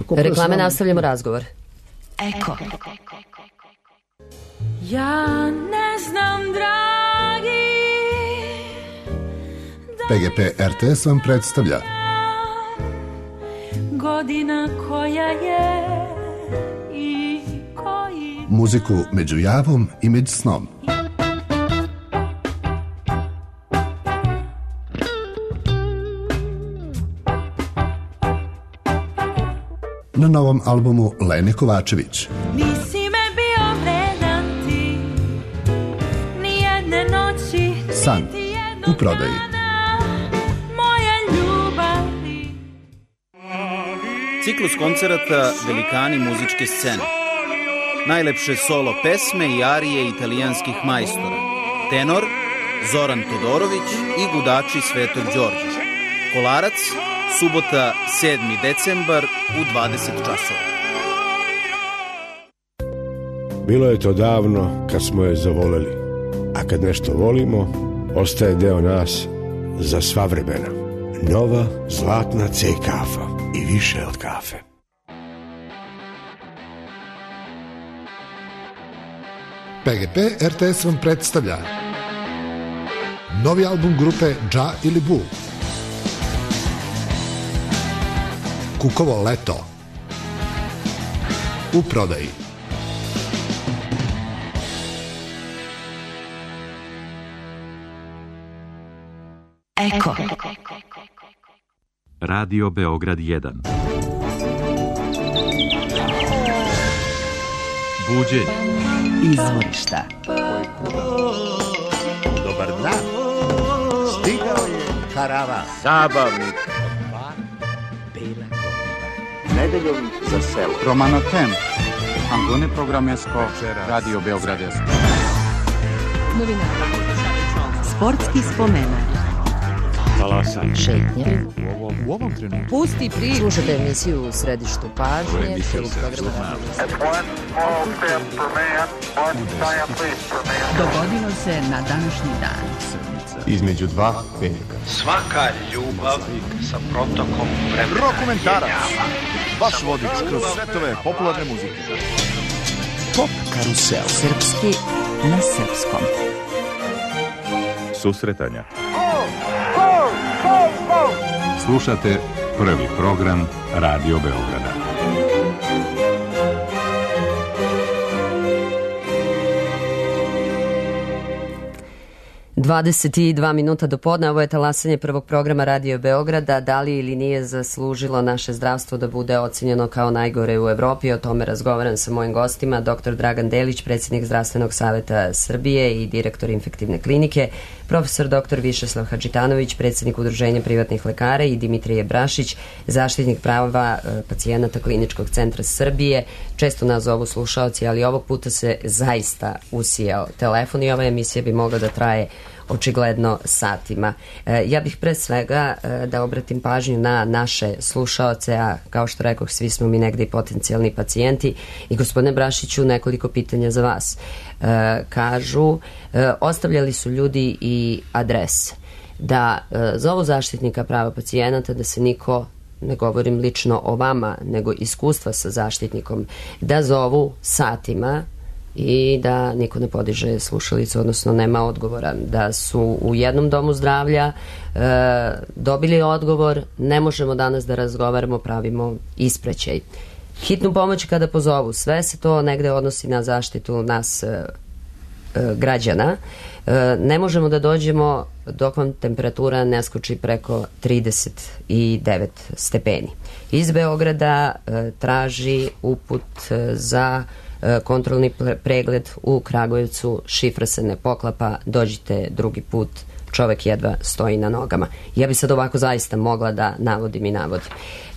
Reklame, nastavljamo razgovor. Eko. Ja ne znam, dragi. P G P R T S vam predstavlja Godina koja je i koji... muziku među javom i među snom. Na novom albumu Lene Kovačević. Nisi me bio vredan ti, nijedne noći, San u prodaji. Moje ljubavi. Ciklus koncerata Velikani muzičke scene. Najlepše solo pesme i arije italijanskih majstora. Tenor Zoran Todorović i gudači Svetog Đorđa. Kolarac, subota sedmi decembar u dvadeset časova. Bilo je to davno kad smo je zavoleli, a kad nešto volimo, ostaje deo nas za sva vremena. Nova zlatna C kafa i više od kafe. P G P R T S vam predstavlja novi album grupe Dža ili Bu. Kukovo leto u prodaji. Eko. Radio Beograd jedan. Buđenje. Izvorišta. Dobar dan. Stigao je karavan. Zabavnik. Nedeljom za selo. Romano Tem. Angone programesko. Radio Beograd jedan. Novinari. Sportski spomenak. Talasan. Šetnje. U ovom trenutku. Pusti priču. Slušate emisiju u središtu pažnje. Dogodilo se na današnji dan. Između dva velika. Svaka ljubav sa protokom vremena. Rokomentarac. Vaš vodič kroz svetove popularne muzike. Pop karusel. Srpski na srpskom. Susretanja. Slušate prvi program Radio Beograda. dvadeset dva minuta do podne, ovo je talasanje prvog programa Radio Beograda. Da li ili nije zaslužilo naše zdravstvo da bude ocenjeno kao najgore u Evropi? O tome razgovaram sa mojim gostima, doktor Dragan Delić, predsjednik Zdravstvenog saveta Srbije i direktor infektivne klinike, profesor doktor Višeslav Hadžitanović, predsjednik Udruženja privatnih lekara, i Dimitrije Brašić, zaštitnik prava pacijenata Kliničkog centra Srbije. Često nas zovu slušaoci, ali ovog puta se zaista usijao telefon i ova emisija bi mogla da traje očigledno satima. E, ja bih pre svega e, da obratim pažnju na naše slušaoce, a kao što rekoh, svi smo mi negde i potencijalni pacijenti. I gospodine Brašiću, nekoliko pitanja za vas. E, kažu, e, ostavljali su ljudi i adrese da e, zovu zaštitnika prava pacijenata, da se niko, ne govorim lično o vama, nego iskustva sa zaštitnikom, da zovu satima i da niko ne podiže slušalicu, odnosno nema odgovora. Da su u jednom domu zdravlja e, dobili odgovor, ne možemo danas da razgovaramo, pravimo ispraćaj. Hitnu pomoć kada pozovu, sve se to negde odnosi na zaštitu nas e, e, građana. E, ne možemo da dođemo dok vam temperatura ne skoči preko trideset devet stepeni. Iz Beograda e, traži uput e, za kontrolni pregled u Kragujevcu, šifra se ne poklapa, dođite drugi put, čovek jedva stoji na nogama. Ja bi sad ovako zaista mogla da navodim i navodim.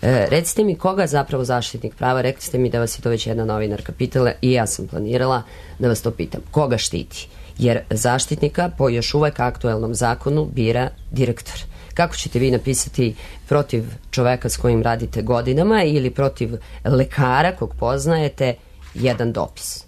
E, recite mi koga zapravo zaštitnik prava, rekli ste mi da vas je to već jedna novinarka pitala i ja sam planirala da vas to pitam. Koga štiti? Jer zaštitnika po još uvek aktuelnom zakonu bira direktor. Kako ćete vi napisati protiv čoveka s kojim radite godinama ili protiv lekara kog poznajete jedan dopis?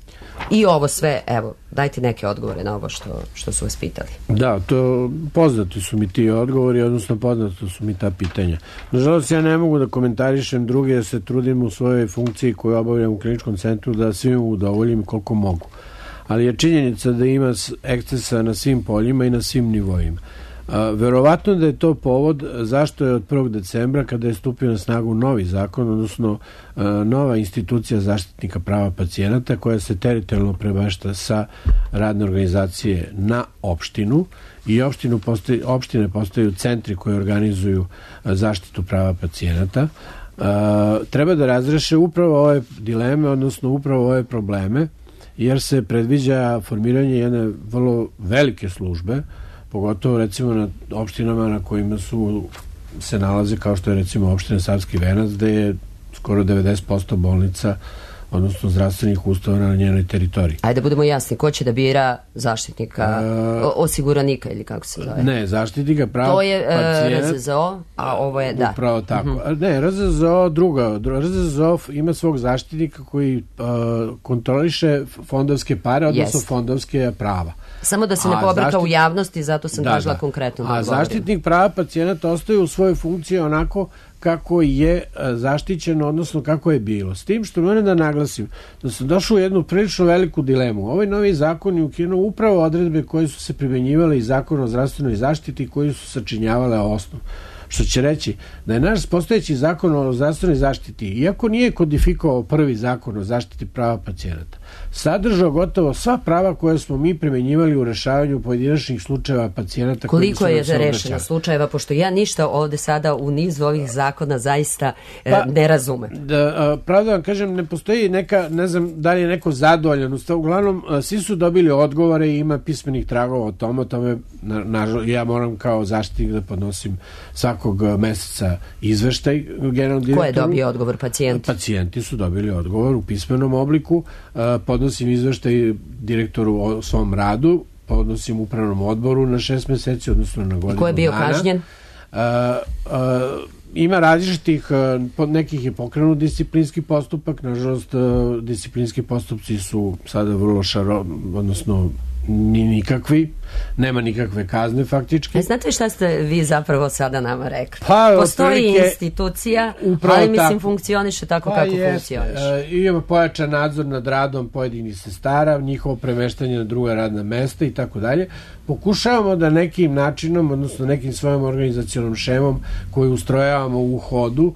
I ovo sve, evo, dajte neke odgovore na ovo što, što su vas pitali. Da, to poznati su mi ti odgovori, odnosno poznati su mi ta pitanja. Nažalost, ja ne mogu da komentarišem druge, jer se trudim u svojoj funkciji koju obavljam u kliničkom centru da svim udovoljim koliko mogu. Ali je činjenica da ima ekscesa na svim poljima i na svim nivoima. A, verovatno da je to povod zašto je od prvog decembra, kada je stupio na snagu novi zakon, odnosno a, nova institucija zaštitnika prava pacijenata koja se teritorijalno prebešta sa radne organizacije na opštinu i opštinu postoji, opštine postaju centri koji organizuju a, zaštitu prava pacijenata, a, treba da razreše upravo ove dileme, odnosno upravo ove probleme, jer se predviđa formiranje jedne vrlo velike službe, pogotovo recimo na opštinama na kojima su se nalaze, kao što je recimo opština Savski Venac, gde je skoro devedeset posto bolnica, odnosno zdravstvenih ustanova na njenoj teritoriji. Ajde da budemo jasni, ko će da bira zaštitnika, uh, osiguranika ili kako se zove? Ne, zaštitnika prava to je pacijenta. R Z Z O, a ovo je, da. Upravo tako. Uh-huh. Ne, R Z Z O druga. R Z Z O ima svog zaštitnika koji uh, kontroliše fondovske pare, odnosno yes. fondovske prava. Samo da se ne pobrka zaštit... u javnosti, zato sam da, tražila da. konkretno da A odgovorim. Zaštitnik prava pacijenata ostaje u svojoj funkciji onako kako je zaštićeno, odnosno kako je bilo. S tim što moram da naglasim da sam došao u jednu prilično veliku dilemu. Ovaj novi zakon je ukinuo upravo odredbe koje su se primenjivale iz zakona o zdravstvenoj zaštiti koji su sačinjavale osnov. Što će reći da je naš postojeći zakon o zdravstvenoj zaštiti, iako nije kodifikovao prvi zakon o zaštiti prava pacijenata, sadržao gotovo sva prava koje smo mi primenjivali u rešavanju pojedinačnih slučajeva pacijenata. Koliko je za rešena slučajeva, pošto ja ništa ovde sada u nizu ovih zakona zaista e, pa, ne razumem. Da, pravda vam kažem, ne postoji neka, ne znam da li je neko zadovoljan. Uglavnom, svi su dobili odgovore i ima pismenih tragova o tome. O tome na, na, ja moram kao zaštitnik da podnosim svakog meseca izveštaj generalnom direktoru. Ko je dobio odgovor? Pacijenti? Pacijenti su dobili odgovor u pismenom obliku. Podnosim izveštaj direktoru o svom radu, podnosim upravnom odboru na šest meseci, odnosno na godinu dana. Ko je bio dana. kažnjen? Uh, uh, ima različitih, uh, nekih je pokrenut disciplinski postupak, nažalost uh, disciplinski postupci su sada vrlo šaro, odnosno ni nikakvi, nema nikakve kazne faktički. E, znate šta ste vi zapravo sada nama rekli? Pa, postoji institucija, ali mislim tako funkcioniše tako pa kako jest, funkcioniše. E, imamo pojačan nadzor nad radom pojedinih sestara, njihovo premeštanje na druga radna mesta i tako dalje. Pokušavamo da nekim načinom, odnosno nekim svojom organizacionom šemom koju ustrojavamo u hodu,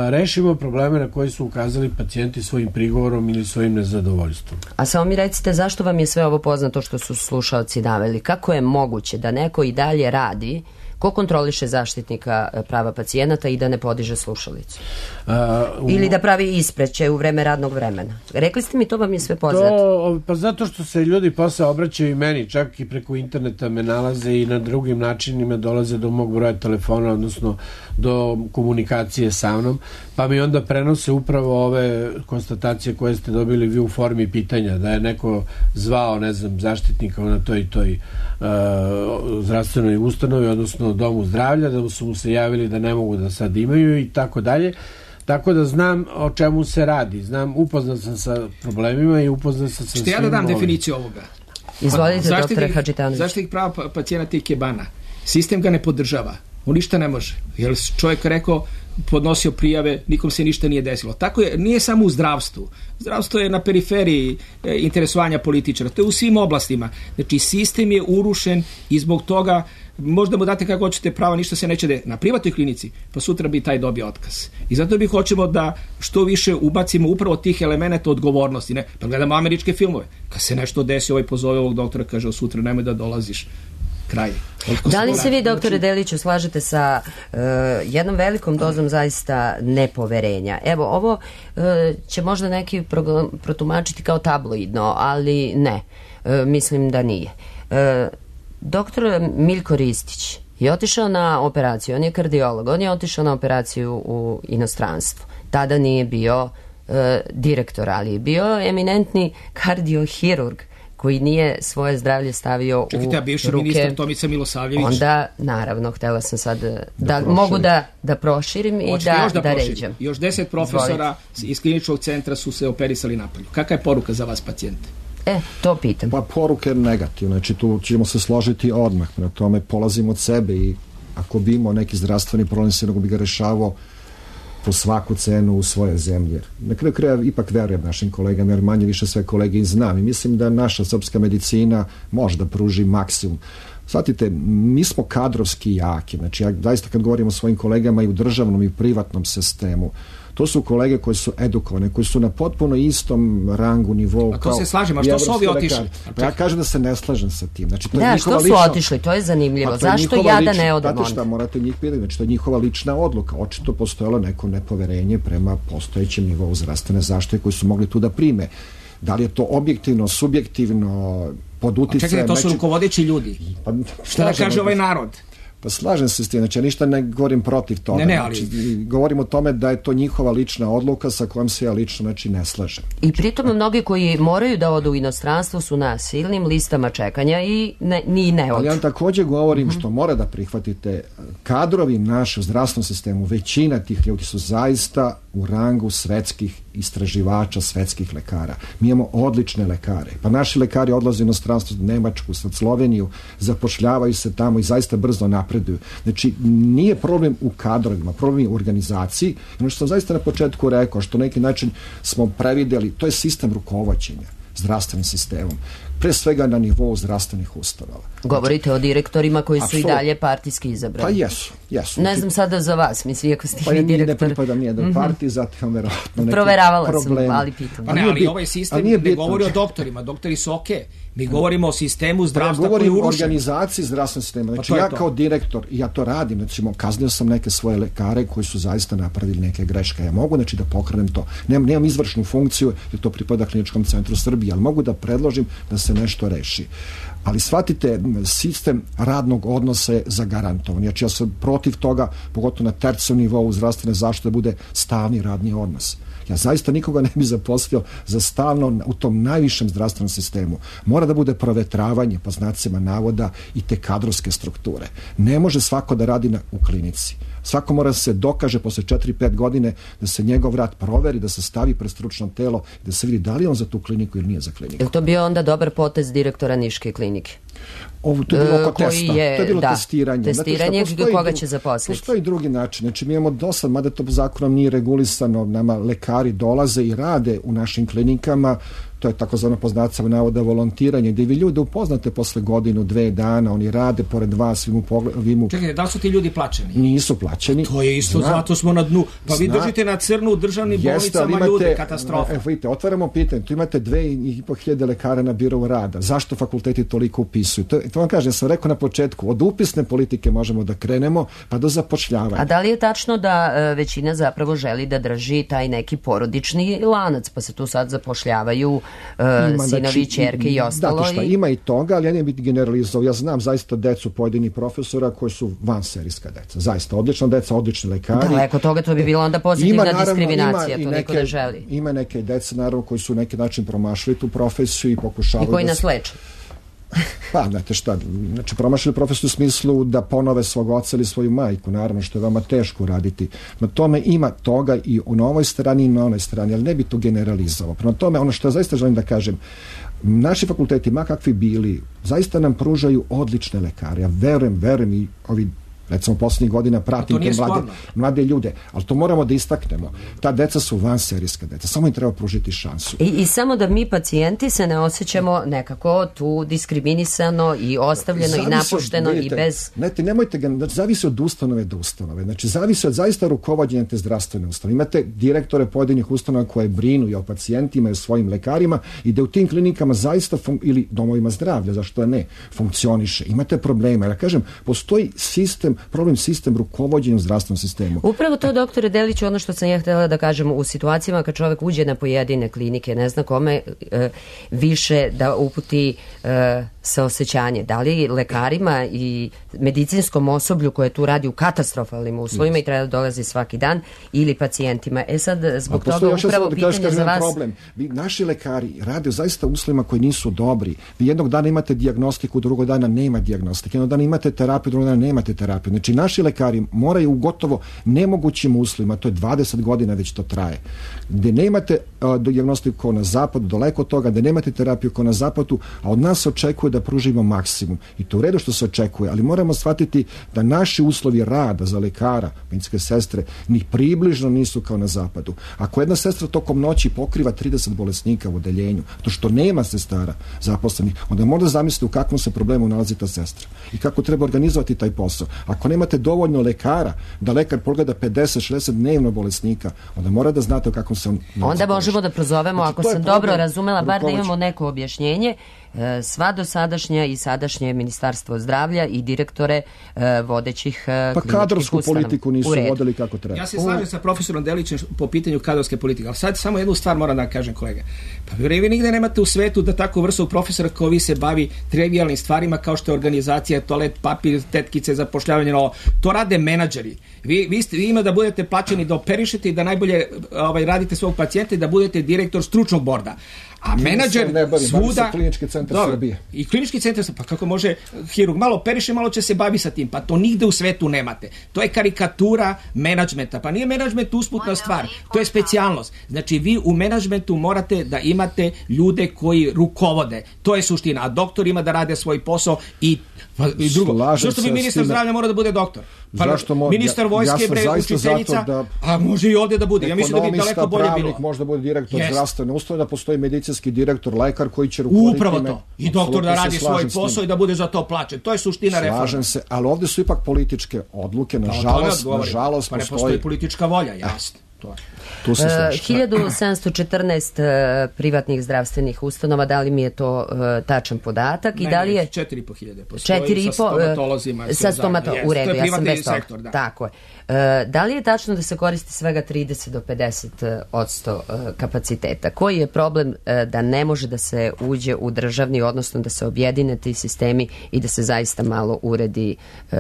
rešimo probleme na koje su ukazali pacijenti svojim prigovorom ili svojim nezadovoljstvom. A samo mi recite, zašto vam je sve ovo poznato što su slušalci naveli? Kako je moguće da neko i dalje radi? Ko kontroliše zaštitnika prava pacijenata i da ne podiže slušalicu? A, u... Ili da pravi ispreće u vreme radnog vremena? Rekli ste mi, to vam je sve poznato. To, pa zato što se ljudi posle obraćaju i meni, čak i preko interneta me nalaze i na drugim načinima dolaze do mog broja telefona, odnosno do komunikacije sa mnom, pa mi onda prenose upravo ove konstatacije koje ste dobili vi u formi pitanja, da je neko zvao, ne znam, zaštitnika na toj i toj uh, zdravstvenoj ustanovi, odnosno domu zdravlja, da su mu se javili da ne mogu da sad imaju i tako dalje. Tako da znam o čemu se radi. Znam, upoznat sam sa problemima i upoznat sam sa svim. Što ja da dam ovim definiciju ovoga? Izvolite, doktore Hadžitanović. Zaštitnik prava pacijenata i kebana. Sistem ga ne podržava. On ništa ne može. Jer čovjek rekao, podnosio prijave, nikom se ništa nije desilo. Tako je, nije samo u zdravstvu. Zdravstvo je na periferiji e, interesovanja političara. To je u svim oblastima. Znači, sistem je urušen i zbog toga možda mu date kako hoćete prava, ništa se neće desiti na privatnoj klinici, pa sutra bi taj dobio otkaz. I zato bi hoćemo da što više ubacimo upravo tih elemenata odgovornosti. Ne? Pa gledamo američke filmove. Kad se nešto desi, ovaj pozove ovog doktora, kaže, sutra nemoj da dolaziš. Kraj. Da li se vi, doktore Deliću, slažete sa uh, jednom velikom dozom zaista nepoverenja? Evo, ovo uh, će možda neki pro, protumačiti kao tabloidno, ali ne. Uh, mislim da nije. Uh, doktor Miljko Ristić je otišao na operaciju, on je kardiolog, on je otišao na operaciju u inostranstvu. Tada nije bio uh, direktor, ali je bio eminentni kardiohirurg koji nije svoje zdravlje stavio Čekajte, u ruke. Čekajte, a bivši ministar Tomica Milosavljević? Onda, naravno, htela sam sad da, da mogu da, da proširim i da, da, da ređem. Još deset profesora Zvolite. Iz kliničkog centra su se operisali napolju. Kakva je poruka za vas, pacijente? E, to pitam. Pa poruka je negativna, znači tu ćemo se složiti odmah, na tome polazimo od sebe i ako bi imao neki zdravstveni problem, se nego bi ga rešavao po svaku cenu u svoje zemlje. Na kraju kraja ipak verujem našim kolegama, jer manje više sve kolege i znam i mislim da naša srpska medicina može da pruži maksimum. Shvatite, mi smo kadrovski jaki, znači ja zaista kad govorim o svojim kolegama i u državnom i u privatnom sistemu, to su kolege koji su edukovane, koji su na potpuno istom rangu, nivou. A to se slažem, a što su ovi otišli? Pa ja kažem da se ne slažem sa tim. Znači, to da, je što su lična... otišli? To je zanimljivo. Zašto ja da ne odem onda? Znate šta, morate njih pitati. Znači, to je njihova lična odluka. Očito postojalo neko nepoverenje prema postojećem nivou zdravstvene zaštite koji su mogli tu da prime. Da li je to objektivno, subjektivno, pod uticajem... Čekaj, to su neči... rukovodeći ljudi. Pa, šta da kaže ovaj narod? Pa slažem se s tim, znači ja ništa ne govorim protiv toga. Ne, ne, ali... znači, govorim o tome da je to njihova lična odluka sa kojom se ja lično znači, ne slažem. I pritom mnogi koji moraju da odu u inostranstvo su na silnim listama čekanja i ne, ni ne odu. Ali ja također govorim mm-hmm. što mora da prihvatite, kadrovi naše u zdravstvenom sistemu, većina tih ljudi su zaista u rangu svetskih istraživača, svetskih lekara. Mi imamo odlične lekare. Pa naši lekari odlaze u inostranstvo, u Nemačku, sad Sloveniju, zapošljavaju se tamo i zaista brzo napreduju. Znači, nije problem u kadrovima, problem je u organizaciji. Ono što sam zaista na početku rekao, što na neki način smo prevideli, to je sistem rukovođenja zdravstvenim sistemom. Pre svega na nivou zdravstvenih ustanova. Govorite znači, o direktorima koji su absolutno. I dalje partijski izabrani. Pa jesu, jesu. Ne znam sada za vas, misli, ako ste pa vi direktor. Pa ne pripadam nijednoj partiji, zato imam verovatno neki Proveravala problem. sam, ali pitam. Pa ne, ali ovaj sistem ne bitno. Govori o doktorima, doktori su okej. Okay. Mi govorimo o sistemu zdravstva pa ja koji je urušen. Govorim o organizaciji zdravstvenog sistema. Znači pa ja kao direktor, ja to radim, znači kaznio sam neke svoje lekare koji su zaista napravili neke greške. Ja mogu znači da pokrenem to. Nemam, nemam izvršnu funkciju, jer to pripada Kliničkom centru Srbije, ali mogu da predložim da se nešto reši. Ali shvatite, sistem radnog odnosa je zagarantovan. Znači ja sam protiv toga, pogotovo na tercijalnom nivou zdravstvene zaštite, da bude stalni radni odnos. Ja zaista nikoga ne bi zaposlio za stalno u tom najvišem zdravstvenom sistemu. Mora da bude provetravanje, po znacima navoda, i te kadrovske strukture. Ne može svako da radi na, u klinici. Svako mora se dokaže posle četiri pet godine da se njegov rad proveri, da se stavi pred stručno telo i da se vidi da li on za tu kliniku ili nije za kliniku. Je li to bio onda dobar potez direktora Niške klinike? Ovo, to je bilo oko testa. Je, to je bilo da, testiranje. Testiranje postoji, koga će zaposliti. Postoji drugi način. Znači mi imamo dosad, mada to zakonom nije regulisano, nama lekari lekari dolaze i rade u našim klinikama, to je takozvano poznacava navoda volontiranje, gdje vi ljude upoznate posle godinu, dve dana, oni rade pored vas, vi mu pogledate. Čekajte, da li su ti ljudi plaćeni? Nisu plaćeni. To je isto, Zna, zato smo na dnu. Pa vi Zna, držite na crnu u državnim bolnicama imate, ljude, katastrofa. Evo vidite, otvaramo pitanje, tu imate dve i po hiljade lekara na birovu rada. Zašto fakulteti toliko upisuju? To, to vam kažem, sam rekao na početku, od upisne politike možemo da krenemo, pa do zapošljavanja. A da li je tačno da e, većina zapravo želi da drži taj neki porodični lanac, pa se tu sad zapošljavaju Ima, sinovi, znači, ćerke i ostalo? Da, šta, i... ima i toga, ali ja ne bih generalizovao. Ja znam zaista decu pojedinih profesora koji su vanserijska deca. Zaista, odlična deca, odlični lekari. Daleko toga, to bi bilo onda pozitivna ima, naravno, diskriminacija, to niko ne želi. Ima neke deca, naravno, koji su neki način promašili tu profesiju i pokušavaju... I koji da nas leče. Pa, znate šta, znači promašili profesor u smislu da ponove svog oca ili svoju majku, naravno što je vama teško raditi. Na tome ima toga i u novoj strani i na onoj strani, ali ne bi to generalizovao. Prema tome, ono što ja zaista želim da kažem, naši fakulteti, ma kakvi bili, zaista nam pružaju odlične lekare. Ja verujem, verujem i ovi recimo posljednjih godina pratim te mlade, mlade ljude, ali to moramo da istaknemo. Ta deca su vanserijska deca, samo im treba pružiti šansu. I, I samo da mi pacijenti se ne osjećamo nekako tu diskriminisano i ostavljeno zavisi i napušteno od, vidite, i bez... Znate, nemojte ga, znači, zavisi od ustanove do ustanove, znači zavisi od zaista rukovođenja te zdravstvene ustanove. Imate direktore pojedinih ustanova koje brinu i o pacijentima i o svojim lekarima i da u tim klinikama zaista, fun, ili domovima zdravlja, zašto ne, funkcioniše. Imate problema, ja kažem, postoji sistem problem sistem rukovođenja u zdravstvenom sistemu. Upravo to, doktore Deliću, ono što sam ja htjela da kažem, u situacijama kad čovjek uđe na pojedine klinike, ne zna kome e, više da uputi e, saosećanje. Da li lekarima i medicinskom osoblju koje tu radi u katastrofalnim uslovima yes. i treba da dolazi svaki dan, ili pacijentima. E sad, zbog toga upravo da pitanje kažem, za vas... Problem. Vi, naši lekari rade u zaista uslovima koji nisu dobri. Vi jednog dana imate dijagnostiku, drugog dana nema dijagnostike. Jednog dana imate terapiju, drugog dana nemate terapiju. Znači, naši lekari moraju u gotovo nemogućim uslovima, to je dvadeset godina već to traje, gdje nemate uh, dijagnostiku kao na zapadu, daleko od toga, gdje nemate terapiju kao na zapadu, a od nas se očekuje da pružimo maksimum. I to u redu što se očekuje, ali moramo shvatiti da naši uslovi rada za lekara, medicinske sestre, ni približno nisu kao na zapadu. Ako jedna sestra tokom noći pokriva trideset bolesnika u odeljenju, to što nema sestara zaposlenih, onda možda zamisliti u kakvom se problemu nalazi ta sestra i kako treba organizovati taj posao. Ako nemate dovoljno lekara da lekar pogleda pedeset šezdeset dnevno bolesnika, onda mora da znate o kakvom se on... Onda možemo da prozovemo, znači, ako sam dobro razumela, bar da imamo neko objašnjenje, sva dosadašnja i sadašnje Ministarstvo zdravlja i direktore vodećih pa kliničkih kadrovsku ustanova. Politiku nisu vodili kako treba. Ja se slažem sa profesorom Delićem po pitanju kadrovske politike, ali sad samo jednu stvar moram da kažem, kolega. Pa vi nigde nemate u svetu da tako vrstu profesora kao vi se bavi trivijalnim stvarima kao što je organizacija, toalet, papir, tetkice, zapošljavanje, no, to rade menadžeri. Vi, vi, ste, vi ima da budete plaćeni da operišete i da najbolje ovaj, radite svog pacijenta i da budete direktor stručnog borda. A menadžer bavim, svuda... Klinički centar dobro, Srbije. I klinički centar, pa kako može hirurg malo operiše, malo će se bavi sa tim. Pa to nigde u svetu nemate. To je karikatura menadžmenta. Pa nije menadžment usputna stvar. To je specijalnost. Znači vi u menadžmentu morate da imate ljude koji rukovode. To je suština. A doktor ima da rade svoj posao i, i drugo. Slažem Zašto bi ministar zdravlja mora da bude doktor? Pa zašto mo, ministar vojske, ja bre, učiteljica, da a može i ovdje da bude. Ja mislim da bi daleko bolje bilo. Ekonomista, može da bude direktor yes. zdravstvene ustanove, da postoji medicinski direktor, lekar koji će rukovoditi. Upravo to. I doktor da radi svoj posao i da bude za to plaćen. To je suština reforme. Slažem se, ali ovdje su ipak političke odluke, nažalost, nažalost pa ne postoji... postoji politička volja, jasno. To je. Tu se slažem. hiljadu sedamsto četrnaest privatnih zdravstvenih ustanova, da li mi je to uh, tačan podatak? Ne, i da li je četiri i po hiljade postoji četiri i po, sa stomatolozima. Sa stomato, u redu, ja sam bez toga. Sektor, da. Tako je. Uh, da li je tačno da se koristi svega trideset do pedeset odsto uh, kapaciteta? Koji je problem uh, da ne može da se uđe u državni, odnosno da se objedine ti sistemi i da se zaista malo uredi uh,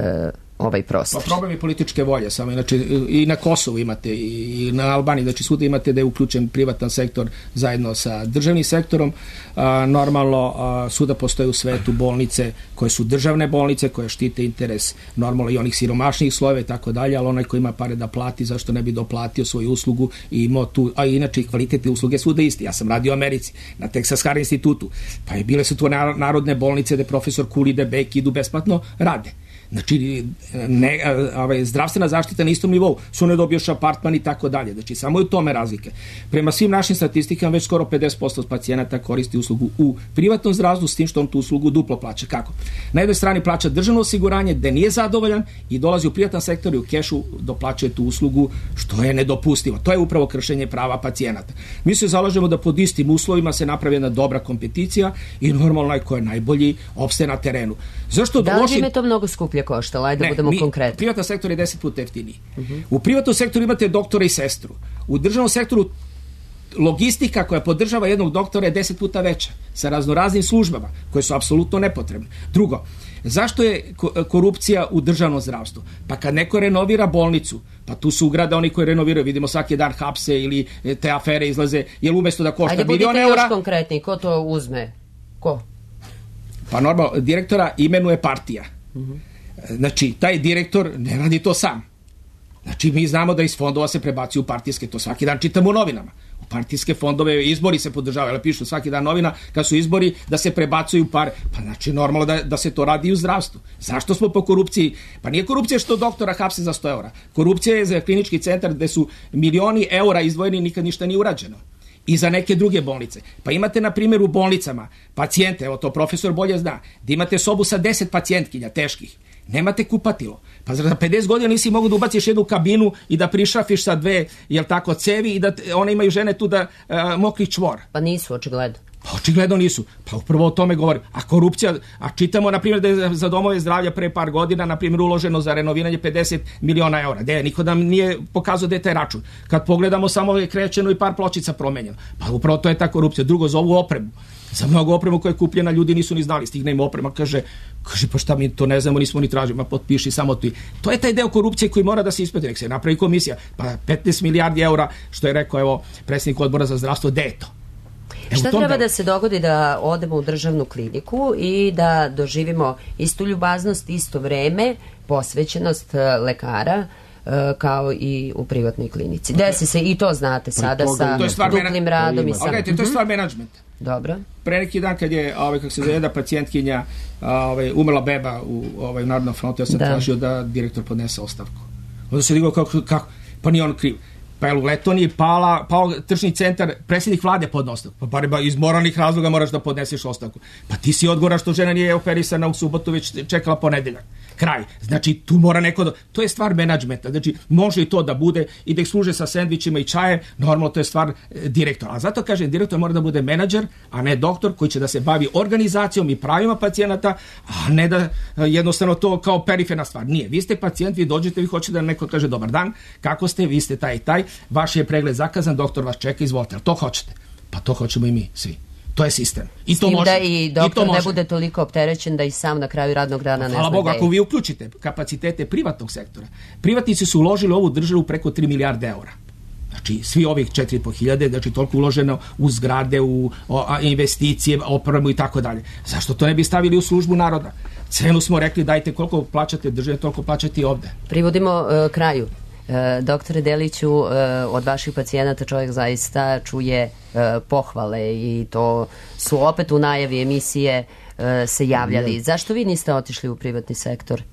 ovaj prostor? Pa problem je političke volje, samo inače i na Kosovu imate i na Albaniji, znači svuda imate da je uključen privatan sektor zajedno sa državnim sektorom. A, normalno a, svuda postoje u svetu bolnice koje su državne bolnice, koje štite interes normalno i onih siromašnijih slojeva i tako dalje, ali onaj ko ima pare da plati, zašto ne bi doplatio svoju uslugu i imao tu, a inače i kvalitetne usluge svuda isti. Ja sam radio u Americi na Texas Hair institutu, pa je bile su tu narodne bolnice gde profesor Kuli, Debek idu besplatno, rade. Znači, ne, ovaj, zdravstvena zaštita na istom nivou, su ne dobioš apartman i tako dalje. Znači, samo je u tome razlike. Prema svim našim statistikama, već skoro pedeset posto pacijenata koristi uslugu u privatnom zdravstvu, s tim što on tu uslugu duplo plaća. Kako? Na jednoj strani plaća državno osiguranje, gde nije zadovoljan i dolazi u privatan sektor i u kešu doplaćuje tu uslugu, što je nedopustivo. To je upravo kršenje prava pacijenata. Mi se zalažemo da pod istim uslovima se napravi jedna dobra kompeticija i normalno onaj ko je najbolji opstaje na terenu. Zašto da li loši... bi me to mnogo skuplje koštalo? Ajde da budemo mi, konkretni. Privatni sektor je deset puta jeftiniji. Uh-huh. U privatnom sektoru imate doktora i sestru. U državnom sektoru logistika koja podržava jednog doktora je deset puta veća, sa raznoraznim službama koje su apsolutno nepotrebne. Drugo, zašto je korupcija u državnom zdravstvu? Pa kad neko renovira bolnicu, pa tu su ugrada oni koji renoviraju, vidimo svaki dan hapse ili te afere izlaze, jer umesto da košta milion eura... Ajde, budite još konkretni, ko to uzme? Ko? Pa normalno, direktora imenuje partija. Uh-huh. Znači, taj direktor ne radi to sam. Znači, mi znamo da iz fondova se prebacuju partijske, to svaki dan čitamo u novinama. U partijske fondove izbori se podržavaju, ali pišu svaki dan novina kad su izbori da se prebacuju pare. Pa znači, normalno da, da se to radi i u zdravstvu. Zašto smo po korupciji? Pa nije korupcija što doktora hapse za sto eura. Korupcija je za klinički centar gde su milioni eura izdvojeni i nikad ništa nije urađeno. I za neke druge bolnice. Pa imate, na primjer, u bolnicama pacijente, evo to profesor bolje zna, da imate sobu sa deset pacijentkinja teških. Nemate kupatilo. Pa za pedeset godina nisi mogu da ubaciš jednu kabinu i da prišrafiš sa dve, jel tako, cevi i da one imaju žene tu da uh, mokri čvor. Pa nisu, očigledno. Pa očigledno nisu. Pa upravo o tome govorim. A korupcija, a čitamo, na primjer, da je za domove zdravlja pre par godina, na primjer, uloženo za renoviranje pedeset miliona eura. De, niko nam nije pokazao da je taj račun. Kad pogledamo, samo je krećeno i par pločica promenjeno. Pa upravo to je ta korupcija. Drugo, za ovu opremu. Za mnogo opremu koja je kupljena, ljudi nisu ni znali, stigne im oprema, kaže, kaže, pa šta mi to ne znamo, nismo ni tražili, ma potpiši samo ti. To je taj deo korupcije koji mora da se ispiti, nek se napravi komisija. Pa petnaest milijardi eura, što je rekao, evo, predsjednik odbora za zdravstvo, gde je to? E, šta treba da se dogodi da odemo u državnu kliniku i da doživimo istu ljubaznost, isto vreme, posvećenost lekara, kao i u privatnoj klinici? Desi se, i to znate sada sa duplim radom i sa... Gledajte, to je stvar menadžmenta. Dobro. Pre neki dan kad je, ovaj, kako se zove, jedna pacijentkinja, ovaj, umrla beba u ovaj, Narodnom frontu, ja sam da. tražio da direktor podnese ostavku. Onda se digao kako, kako, pa nije on kriv. Pa je u Letoniji pala, pao tržni centar, predsjednik vlade podne ostavku. Pa bar iz moralnih razloga moraš da podneseš ostavku. Pa ti si odgovoran što žena nije operisana u subotu, već čekala ponedeljak. Kraj. Znači, tu mora neko da... To je stvar menadžmenta. Znači, može i to da bude i da ih služe sa sendvičima i čajem. Normalno, to je stvar e, direktora. A zato, kažem, direktor mora da bude menadžer, a ne doktor koji će da se bavi organizacijom i pravima pacijenata, a ne da e, jednostavno to kao periferna stvar. Nije. Vi ste pacijent, vi dođete, vi hoćete da neko kaže dobar dan, kako ste, vi ste taj i taj, vaš je pregled zakazan, doktor vas čeka, izvolite. To hoćete. Pa to hoćemo i mi, svi. To je sistem. I to može. Da i doktor I ne bude toliko opterećen da i sam na kraju radnog dana ne zna. Hvala Bogu, ako vi uključite kapacitete privatnog sektora. Privatnici su uložili u ovu državu preko tri milijarde eura. Znači, svi ovih četiri i po hiljade, znači toliko uloženo u zgrade, u o, a, investicije, opremu i tako dalje. Zašto to ne bi stavili u službu naroda? Cenu smo rekli, dajte koliko plaćate države, toliko plaćate i ovde. Privodimo uh, kraju. E, doktore Deliću, e, od vaših pacijenata čovjek zaista čuje e, pohvale i to su opet u najavi emisije e, se javljali. Ne. Zašto vi niste otišli u privatni sektor?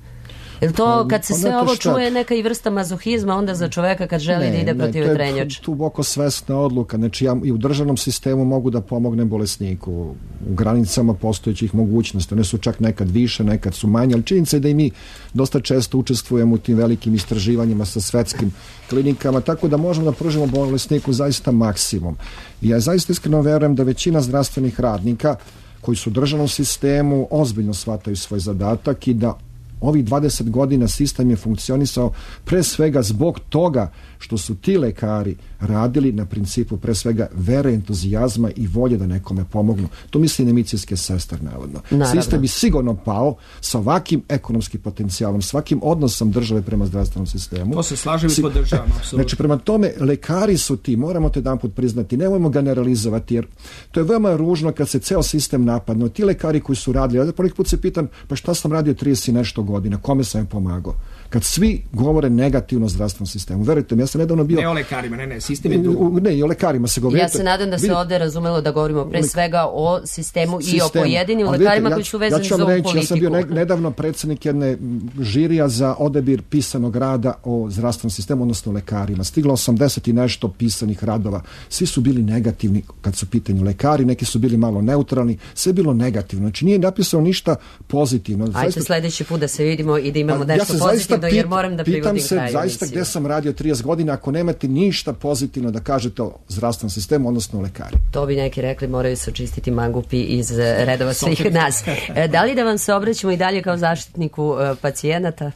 Jer to kad se sve ovo čuje neka i vrsta mazohizma onda za čoveka kad želi ne, da ide protiv vetrenjača? To je duboko svesna odluka. Znači ja i u državnom sistemu mogu da pomognem bolesniku u granicama postojećih mogućnosti. One su čak nekad više, nekad su manje, ali činjenica je da i mi dosta često učestvujemo u tim velikim istraživanjima sa svetskim klinikama, tako da možemo da pružimo bolesniku zaista maksimum. I ja zaista iskreno verujem da većina zdravstvenih radnika koji su u državnom sistemu ozbiljno shvataju svoj zadatak i da ovih dvadeset godina sistem je funkcionisao pre svega zbog toga što su ti lekari radili na principu pre svega vere, entuzijazma i volje da nekome pomognu. To misli na medicinske sestre, navodno. Naravno. Sistem bi sigurno pao sa ovakvim ekonomskim potencijalom, svakim odnosom države prema zdravstvenom sistemu. To se slažem i podržavam, apsolutno. Znači, prema tome, lekari su ti, moramo te jedan put priznati, nemojmo generalizovati, jer to je veoma ružno kad se ceo sistem napadne. Ti lekari koji su radili, ja poneki put se pitam, pa šta sam radio trideset i nešto godina, kome sam im pomagao? kad svi govore negativno o zdravstvenom sistemu. Verujte mi, ja sam nedavno bio... Ne o lekarima, ne, ne, sistem je drugo. Ne, i o lekarima se govori. Ja se nadam da se ovde razumelo da govorimo pre svega o sistemu, sistemu. i o pojedinim ali lekarima vidite, koji su vezani ja, ja za ovu reći, politiku. Ja sam bio ne, nedavno predsjednik jedne žirija za odabir pisanog rada o zdravstvenom sistemu, odnosno lekarima. Stiglo osamdeset i nešto pisanih radova. Svi su bili negativni kad su pitanju lekari, neki su bili malo neutralni, sve je bilo negativno. Znači nije napisano ništa pozitivno. Ajde zaista, sledeći put da se vidimo i da imamo pa, nešto ja pozitivno, pit, jer moram da privodim se, kraju. Zaista gde sam radio trideset godina, ako nemate ništa pozitivno da kažete o zdravstvenom sistemu, odnosno o lekari. To bi neki rekli, moraju se očistiti mangupi iz redova svih nas. Da li da vam se obraćamo i dalje kao zaštitniku pacijenata?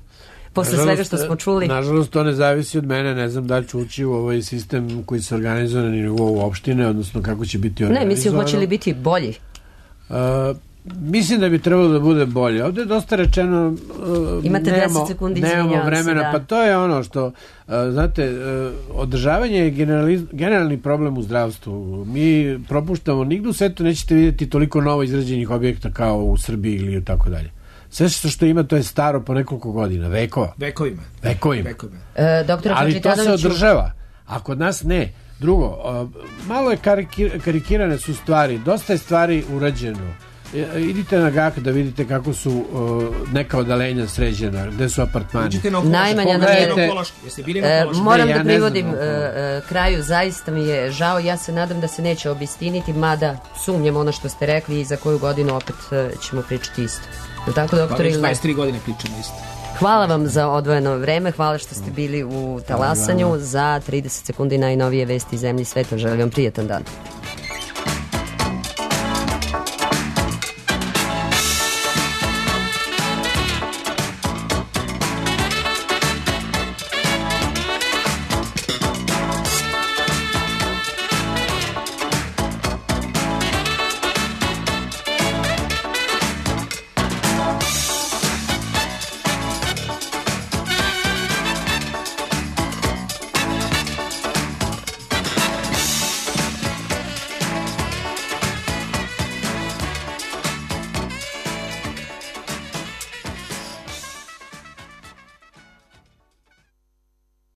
Posle nažalost, svega što smo čuli. Nažalost, to ne zavisi od mene, ne znam da li ću ući u ovaj sistem koji se organizuje na nivou opštine, odnosno kako će biti organizovano. Ne, mislim, hoće li biti bolji? Uh, mislim da bi trebalo da bude bolje. Ovde je dosta rečeno uh, imate nemamo, deset sekundi, nemamo vremena, se, da. Pa to je ono što uh, znate, uh, održavanje je generali, generalni problem u zdravstvu. Mi propuštamo, nigde u svetu nećete vidjeti toliko novo izrađenih objekta kao u Srbiji ili tako dalje. Sve što ima to je staro po nekoliko godina, vekova. Vekovima. Vekovima. Vekovima. E, doktor ali to se održava, a kod nas ne. Drugo, uh, malo je karikir, karikirane su stvari, dosta je stvari urađeno. Idite na Gak da vidite kako su uh, neka odalenja sređena, gde su apartmani. Najmanja nam je... E, moram ne, da ja privodim uh, uh, kraju, zaista mi je žao, ja se nadam da se neće obistiniti, mada sumnjam ono što ste rekli i za koju godinu opet uh, ćemo pričati isto. Tako, doktor, pa dvadeset tri godine pričamo isto. Hvala vam za odvojeno vreme, hvala što ste bili u Talasanju. Za trideset sekundi najnovije vesti zemlji i sveta. Želim vam prijetan dan.